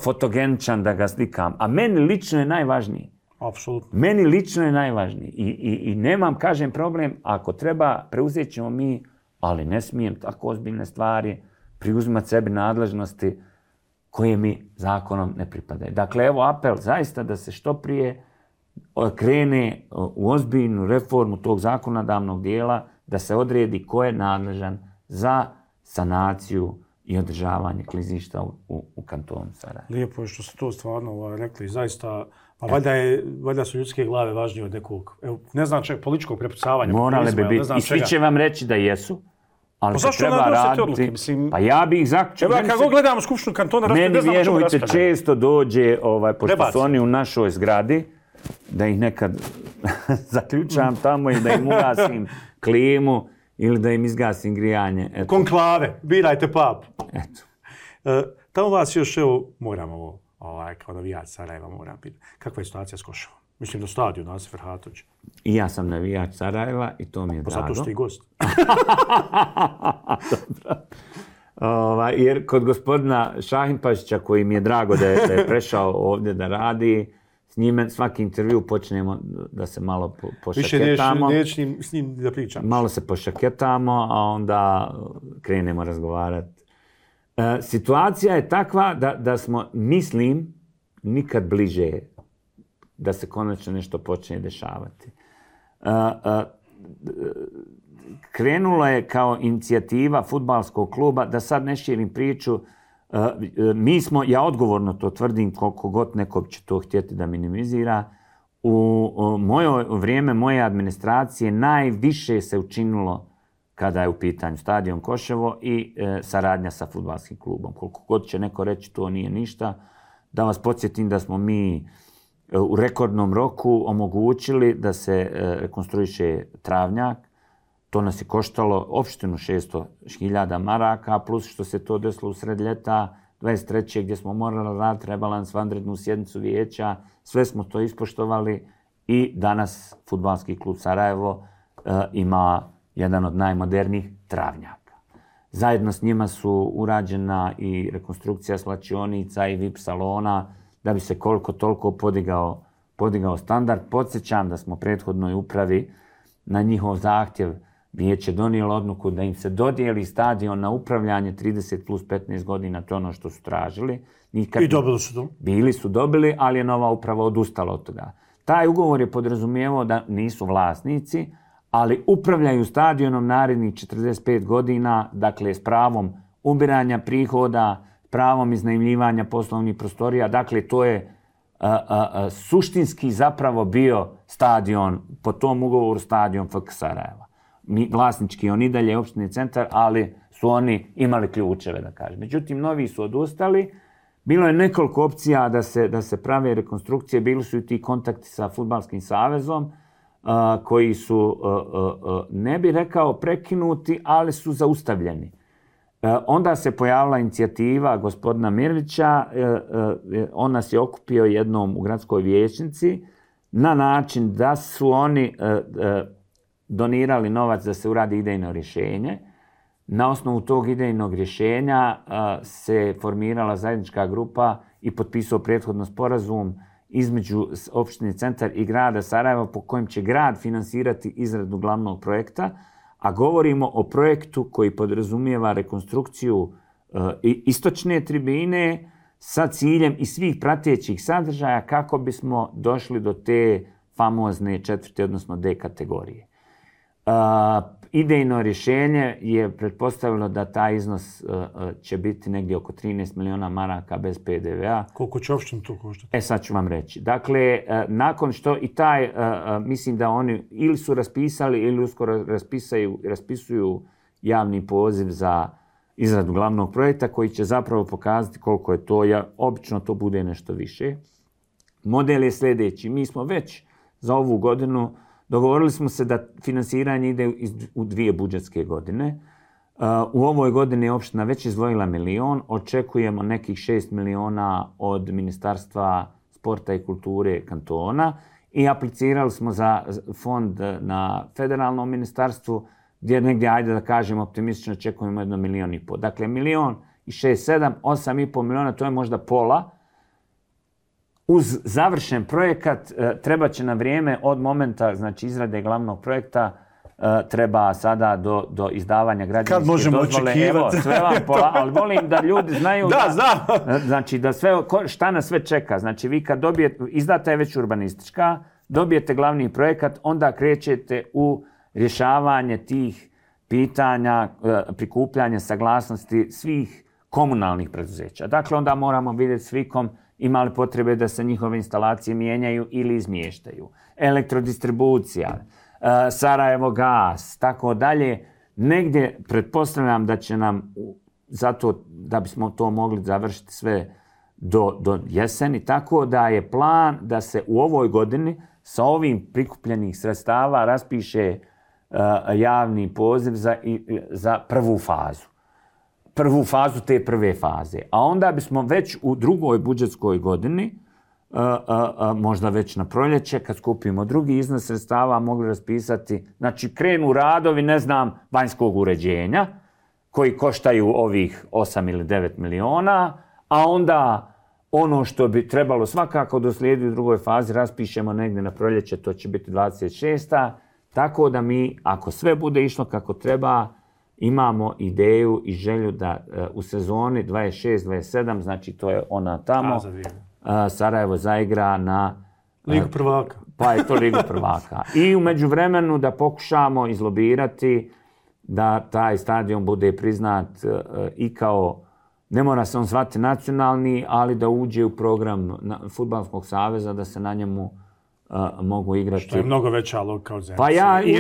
fotogeničan da ga slikam, a meni lično je najvažniji. Apsolutno. Meni lično je najvažniji. I nemam, kažem, problem, ako treba, preuzet ćemo mi, ali ne smijem tako ozbiljne stvari preuzimati sebi nadležnosti koje mi zakonom ne pripadaju. Dakle, evo apel zaista da se što prije krene u ozbiljnu reformu tog zakonodavnog dijela, da se odredi ko je nadležan za sanaciju i održavanje klizišta u kantonu Sarajevo. Lijepo je što ste to stvarno rekli, zaista, a valjda su ljudske glave važnije od nekog, ne znam čak političkog prepucavanja. Morale bi biti, i svi će vam reći da jesu, ali se treba raditi. Pa ja bi ih zaključio. Evo, kako gledamo Skupštinu kantona, meni vjerujte često dođe, pošto su oni u našoj zgradi, da ih nekad zaključam tamo i da im ugasim klimu ili da im izgasim grijanje. Eto. Konklave, birajte papu. Eto. Tamo vas još, evo, moram ovo, kao navijač Sarajeva, moram pitati. Kakva je situacija s Koševom? Mislim da stadion Nasif Ferhatović. I ja sam navijač Sarajeva i to mi je drago. Zato što i gost. Dobro. Jer kod gospodina Šahinpašića, koji mi je drago da je prešao ovdje da radi, s njime svaki intervju počnemo da se malo pošaketamo. Više neću s njim da pričam. Malo se pošaketamo, a onda krenemo razgovarati. Situacija je takva da smo, mislim, nikad bliže da se konačno nešto počne dešavati. Krenulo je kao inicijativa fudbalskog kluba, da sad ne širim priču, mi smo, ja odgovorno to tvrdim, koliko god neko će to htjeti da minimizira, u vrijeme moje administracije najviše se učinilo kada je u pitanju stadion Koševo i saradnja sa fudbalskim klubom. Koliko god će neko reći to nije ništa, da vas podsjetim da smo mi u rekordnom roku omogućili da se rekonstruiše travnjak. To nas je koštalo opštinu 600.000 maraka, plus što se to desilo u sred ljeta 23. gdje smo morali raditi rebalans, vanrednu sjednicu vijeća. Sve smo to ispoštovali i danas fudbalski klub Sarajevo ima jedan od najmodernijih travnjaka. Zajedno s njima su urađena i rekonstrukcija slačionica i VIP salona da bi se koliko toliko podigao standard. Podsjećam da smo prethodnoj upravi na njihov zahtjev vijeće donijelo odluku da im se dodijeli stadion na upravljanje 30 plus 15 godina, to je ono što su tražili. I dobili su to? Bili su dobili, ali je nova uprava odustala od toga. Taj ugovor je podrazumijevao da nisu vlasnici, ali upravljaju stadionom narednih 45 godina, dakle s pravom ubiranja prihoda, pravom iznajmljivanja poslovnih prostorija. Dakle, to je suštinski zapravo bio stadion, po tom ugovoru stadion FK Sarajeva. Vlasnički on i dalje opštini centar, ali su oni imali ključeve, da kažem. Međutim, novi su odustali. Bilo je nekoliko opcija da se prave rekonstrukcije. Bili su i ti kontakti sa Fudbalskim savezom, koji su, ne bi rekao prekinuti, ali su zaustavljeni. Onda se pojavila inicijativa gospodina Mirvića, on nas je okupio jednom u gradskoj vijećnici na način da su oni donirali novac da se uradi idejno rješenje. Na osnovu tog idejnog rješenja se formirala zajednička grupa i potpisao prethodno sporazum između opštine centar i grada Sarajeva po kojem će grad finansirati izradu glavnog projekta, a govorimo o projektu koji podrazumijeva rekonstrukciju istočne tribine sa ciljem i svih pratećih sadržaja kako bismo došli do te famozne četvrte, odnosno D kategorije. Idejno rješenje je pretpostavilo da taj iznos će biti negdje oko 13 miliona maraka bez PDV-a. Koliko će opštinu to koštati? Sad ću vam reći. Dakle, nakon što i taj, mislim da oni ili su raspisali ili uskoro raspisuju javni poziv za izradu glavnog projekta koji će zapravo pokazati koliko je to. Obično to bude nešto više. Model je sljedeći. Mi smo već za ovu godinu dogovorili smo se da finansiranje ide u 2 budžetske godine. U ovoj godini je opština već izdvojila 1 milion. Očekujemo nekih 6 miliona od Ministarstva sporta i kulture kantona i aplicirali smo za fond na federalnom ministarstvu gdje negdje, ajde da kažem, optimistično očekujemo 1,5 miliona. Dakle, 1 milion i 6, 7, 8,5 miliona, to je možda pola. Uz završen projekat treba će na vrijeme od momenta izrade glavnog projekta treba sada do izdavanja građevinske dozvole. Evo, sve vam pola, ali volim da ljudi znaju da sve, šta nas sve čeka. Znači, vi kad izdata je već urbanistička, dobijete glavni projekat, onda krećete u rješavanje tih pitanja, prikupljanje saglasnosti svih komunalnih preduzeća. Dakle, onda moramo vidjeti s Vikom ima li potrebe da se njihove instalacije mijenjaju ili izmještaju. Elektrodistribucija, Sarajevo gas, tako dalje. Negdje pretpostavljam da će nam, zato da bismo to mogli završiti sve do jeseni, tako da je plan da se u ovoj godini sa ovim prikupljenih sredstava raspiše javni poziv za prvu fazu. Prvu fazu te prve faze. A onda bismo već u drugoj budžetskoj godini, možda već na proljeće, kad skupimo drugi iznos sredstava, mogli raspisati, znači krenu radovi, ne znam, vanjskog uređenja, koji koštaju ovih 8 ili 9 miliona, a onda ono što bi trebalo svakako doslijedi u drugoj fazi raspišemo negdje na proljeće, to će biti 26. Tako da mi, ako sve bude išlo kako treba, imamo ideju i želju da u sezoni 26-27, znači to je ona tamo, Sarajevo zaigra na Ligu prvaka. Pa je to Ligu prvaka. I u međuvremenu da pokušamo izlobirati da taj stadion bude priznat i kao, ne mora se on zvati nacionalni, ali da uđe u program Fudbalskog saveza, da se na njemu mogu igrati. Što je mnogo veća logika od Zenice. Pa ja I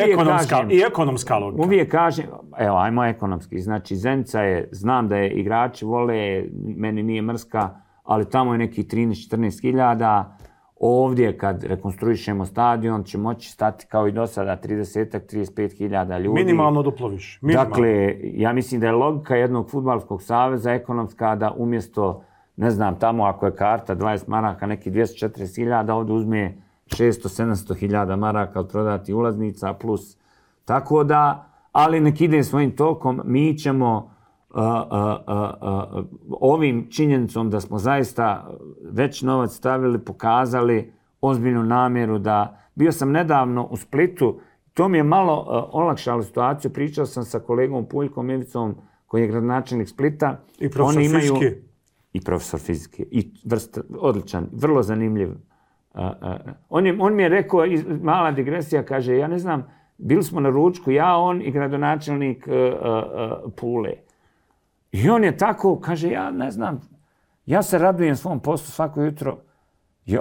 ekonomska logika. Uvijek kažem, evo, ajmo ekonomski. Znači, Zenica je, znam da je igrači vole, meni nije mrska, ali tamo je neki 13-14 hiljada. Ovdje, kad rekonstruišemo stadion, će moći stati kao i do sada 30-35 hiljada ljudi. Minimalno duplo više. Dakle, ja mislim da je logika jednog fudbalskog saveza ekonomska da umjesto, ne znam, tamo ako je karta 20 maraka, neki 240 hiljada, ovdje uzme 600-700 hiljada maraka od prodati ulaznica plus. Tako da, ali nek ide svojim tokom, mi ćemo ovim činjenicom da smo zaista već novac stavili, pokazali ozbiljnu namjeru da... Bio sam nedavno u Splitu, to mi je malo olakšalo situaciju, pričao sam sa kolegom Puljkom Ivicom, koji je gradonačelnik Splita. I profesor fizike. I profesor fizike. I odličan, vrlo zanimljiv. On mi je rekao, mala digresija, kaže, ja ne znam, bili smo na ručku, ja, on i gradonačelnik Pule. I on je tako, kaže, ja ne znam, ja se radujem svom poslu svako jutro.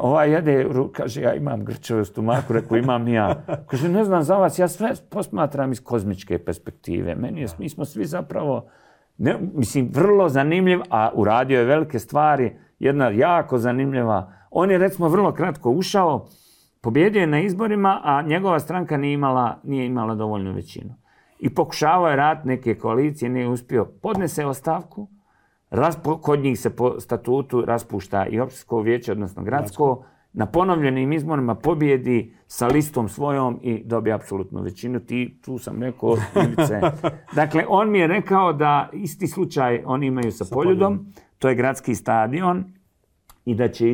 Ovaj jede, kaže, ja imam grčeve u stomaku, rekao, imam i ja. Kaže, ne znam za vas, ja sve posmatram iz kozmičke perspektive. Mi smo svi zapravo, mislim, vrlo zanimljiv, a uradio je velike stvari, jedna jako zanimljiva. On je, recimo, vrlo kratko ušao, pobjedio je na izborima, a njegova stranka nije imala dovoljnu većinu. I pokušavao je raditi neke koalicije, nije uspio. Podnese ostavku, kod njih se po statutu raspušta i općinsko vijeće, odnosno gradsko, na ponovljenim izborima pobjedi sa listom svojom i dobije apsolutnu većinu. Tu sam rekao, Ivice. Dakle, on mi je rekao da isti slučaj oni imaju sa Poljudom, to je gradski stadion, i da će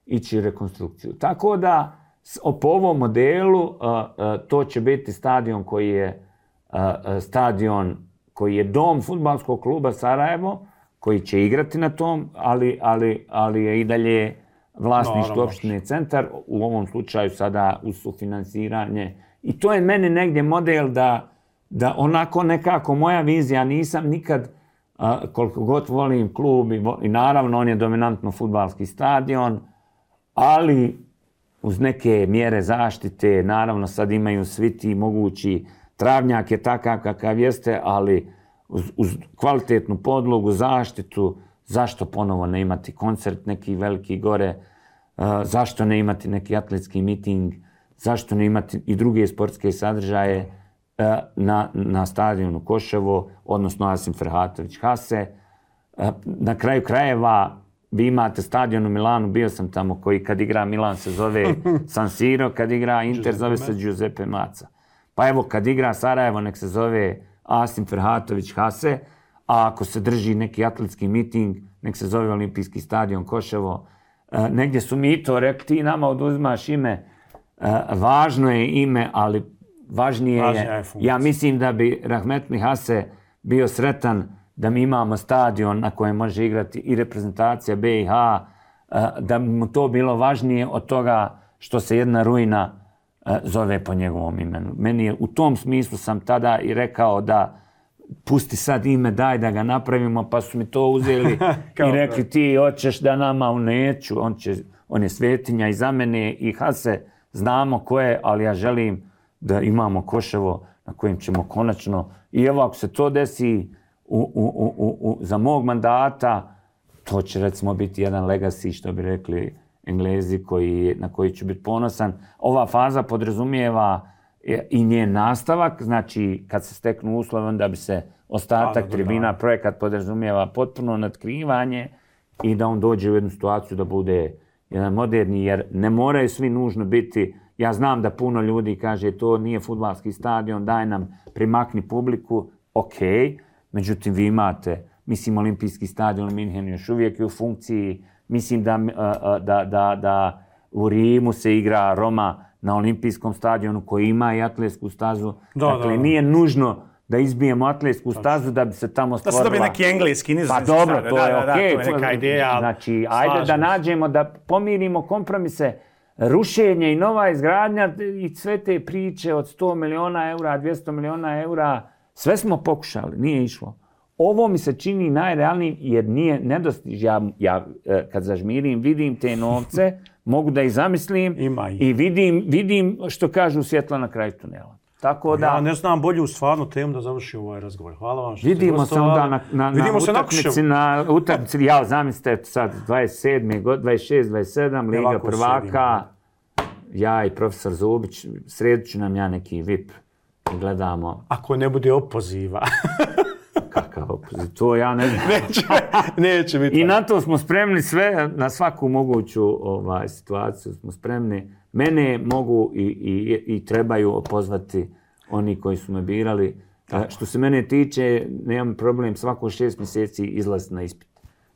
ići rekonstrukciju. Tako da, po ovom modelu, to će biti stadion koji je dom fudbalskog kluba Sarajevo, koji će igrati na tom, ali je i dalje vlasništvo opštine Centar, u ovom slučaju sada uz sufinansiranje. I to je meni negdje model da onako nekako moja vizija, nisam nikad, koliko god volim klub i naravno on je dominantno fudbalski stadion, ali uz neke mjere zaštite, naravno sad imaju svi ti mogući, travnjak je takav kakav jeste, ali uz kvalitetnu podlogu, zaštitu, zašto ponovo ne imati koncert neki veliki gore, zašto ne imati neki atletski miting, zašto ne imati i druge sportske sadržaje na stadionu Koševo, odnosno Asim Ferhatović Hase. Na kraju krajeva vi imate stadion u Milanu, bio sam tamo, koji kad igra Milan se zove San Siro, kad igra Inter zove se Giuseppe Meazza. Pa evo, kad igra Sarajevo, nek se zove Asim Ferhatović Hase, a ako se drži neki atletski miting, nek se zove Olimpijski stadion Koševo. Negdje su mi to rekli, ti nama oduzimaš ime, važno je ime, ali važnije je, ja mislim da bi Rahmetli Hase bio sretan da mi imamo stadion na kojem može igrati i reprezentacija BiH, da bi mu to bilo važnije od toga što se jedna ruina zove po njegovom imenu. Meni je, u tom smislu sam tada i rekao da pusti sad ime, daj da ga napravimo, pa su mi to uzeli i rekli ti hoćeš da nama, neću, on je svetinja i za mene i Hase znamo ko je, ali ja želim da imamo Koševo na kojem ćemo konačno, i evo ako se to desi za mog mandata, to će recimo biti jedan legacy, što bi rekli Englezi na koji ću biti ponosan. Ova faza podrazumijeva i njen nastavak, znači kad se steknu uslovi, onda bi se ostatak tribina, projekat podrazumijeva potpuno natkrivanje i da on dođe u jednu situaciju da bude jedan moderni, jer ne moraju svi nužno biti. Ja znam da puno ljudi kaže to nije fudbalski stadion, daj nam primakni publiku, ok, međutim vi imate, mislim, olimpijski stadion u Minhenu još uvijek je u funkciji, mislim da u Rimu se igra Roma na olimpijskom stadionu koji ima i atletsku stazu. Dakle, nije nužno da izbijemo atletsku stazu da bi se tamo stvorila... Da se dobije neki engleski, nizozemski. Pa dobro, to je okej. To je neka ideja. Znači, ajde da nađemo, da pomirimo kompromise, rušenje i nova izgradnja i sve te priče od 100 miliona eura, 200 miliona eura, sve smo pokušali, nije išlo. Ovo mi se čini najrealnijim jer nije nedostiž. Ja kad zažmirim, vidim te novce, mogu da ih zamislim i vidim što kažu svjetlo na kraju tunela. Tako da... Ja ne znam bolju stvarnu temu da završim ovaj razgovor. Hvala vam što vidimo ste gostovali. Vidimo se na utakmici. Ja, zamislite sad 27. 26, 27, Liga prvaka. Ja i profesor Zubić, sredit ću nam ja neki VIP i gledamo. Ako ne bude opoziva. Kakav opoziv? To ja ne znam. Neće biti. I na to smo spremni sve, na svaku moguću situaciju smo spremni. Mene mogu i trebaju pozvati oni koji su me birali. Što se mene tiče, nemam problem svako 6 mjeseci izlaziti na ispit.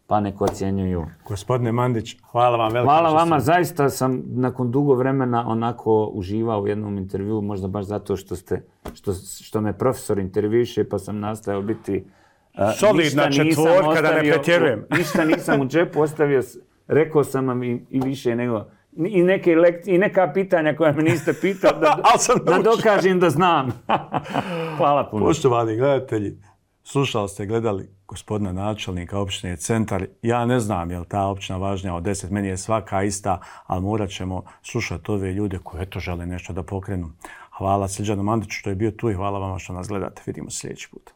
Pa neko ocjenjuju. Gospodine Mandić, hvala vam veliko. Hvala vama, zaista sam nakon dugo vremena onako uživao u jednom intervjuu, možda baš zato što me profesor intervjuše, pa sam nastojao biti... Solidna četvorka, da ne pretjerujem. Ništa nisam u džepu ostavio, rekao sam vam i više nego... I neke lekcije, i neka pitanja koja me niste pitali, da dokažem da znam. Hvala puno. Poštovani gledatelji, gledali gospodina načelnika općine Centar. Ja ne znam je li ta općina važnija od 10, meni je svaka ista, ali morat ćemo slušati ove ljude koji eto žele nešto da pokrenu. Hvala Srđanu Mandiću što je bio tu i hvala vama što nas gledate. Vidimo se sljedeći put.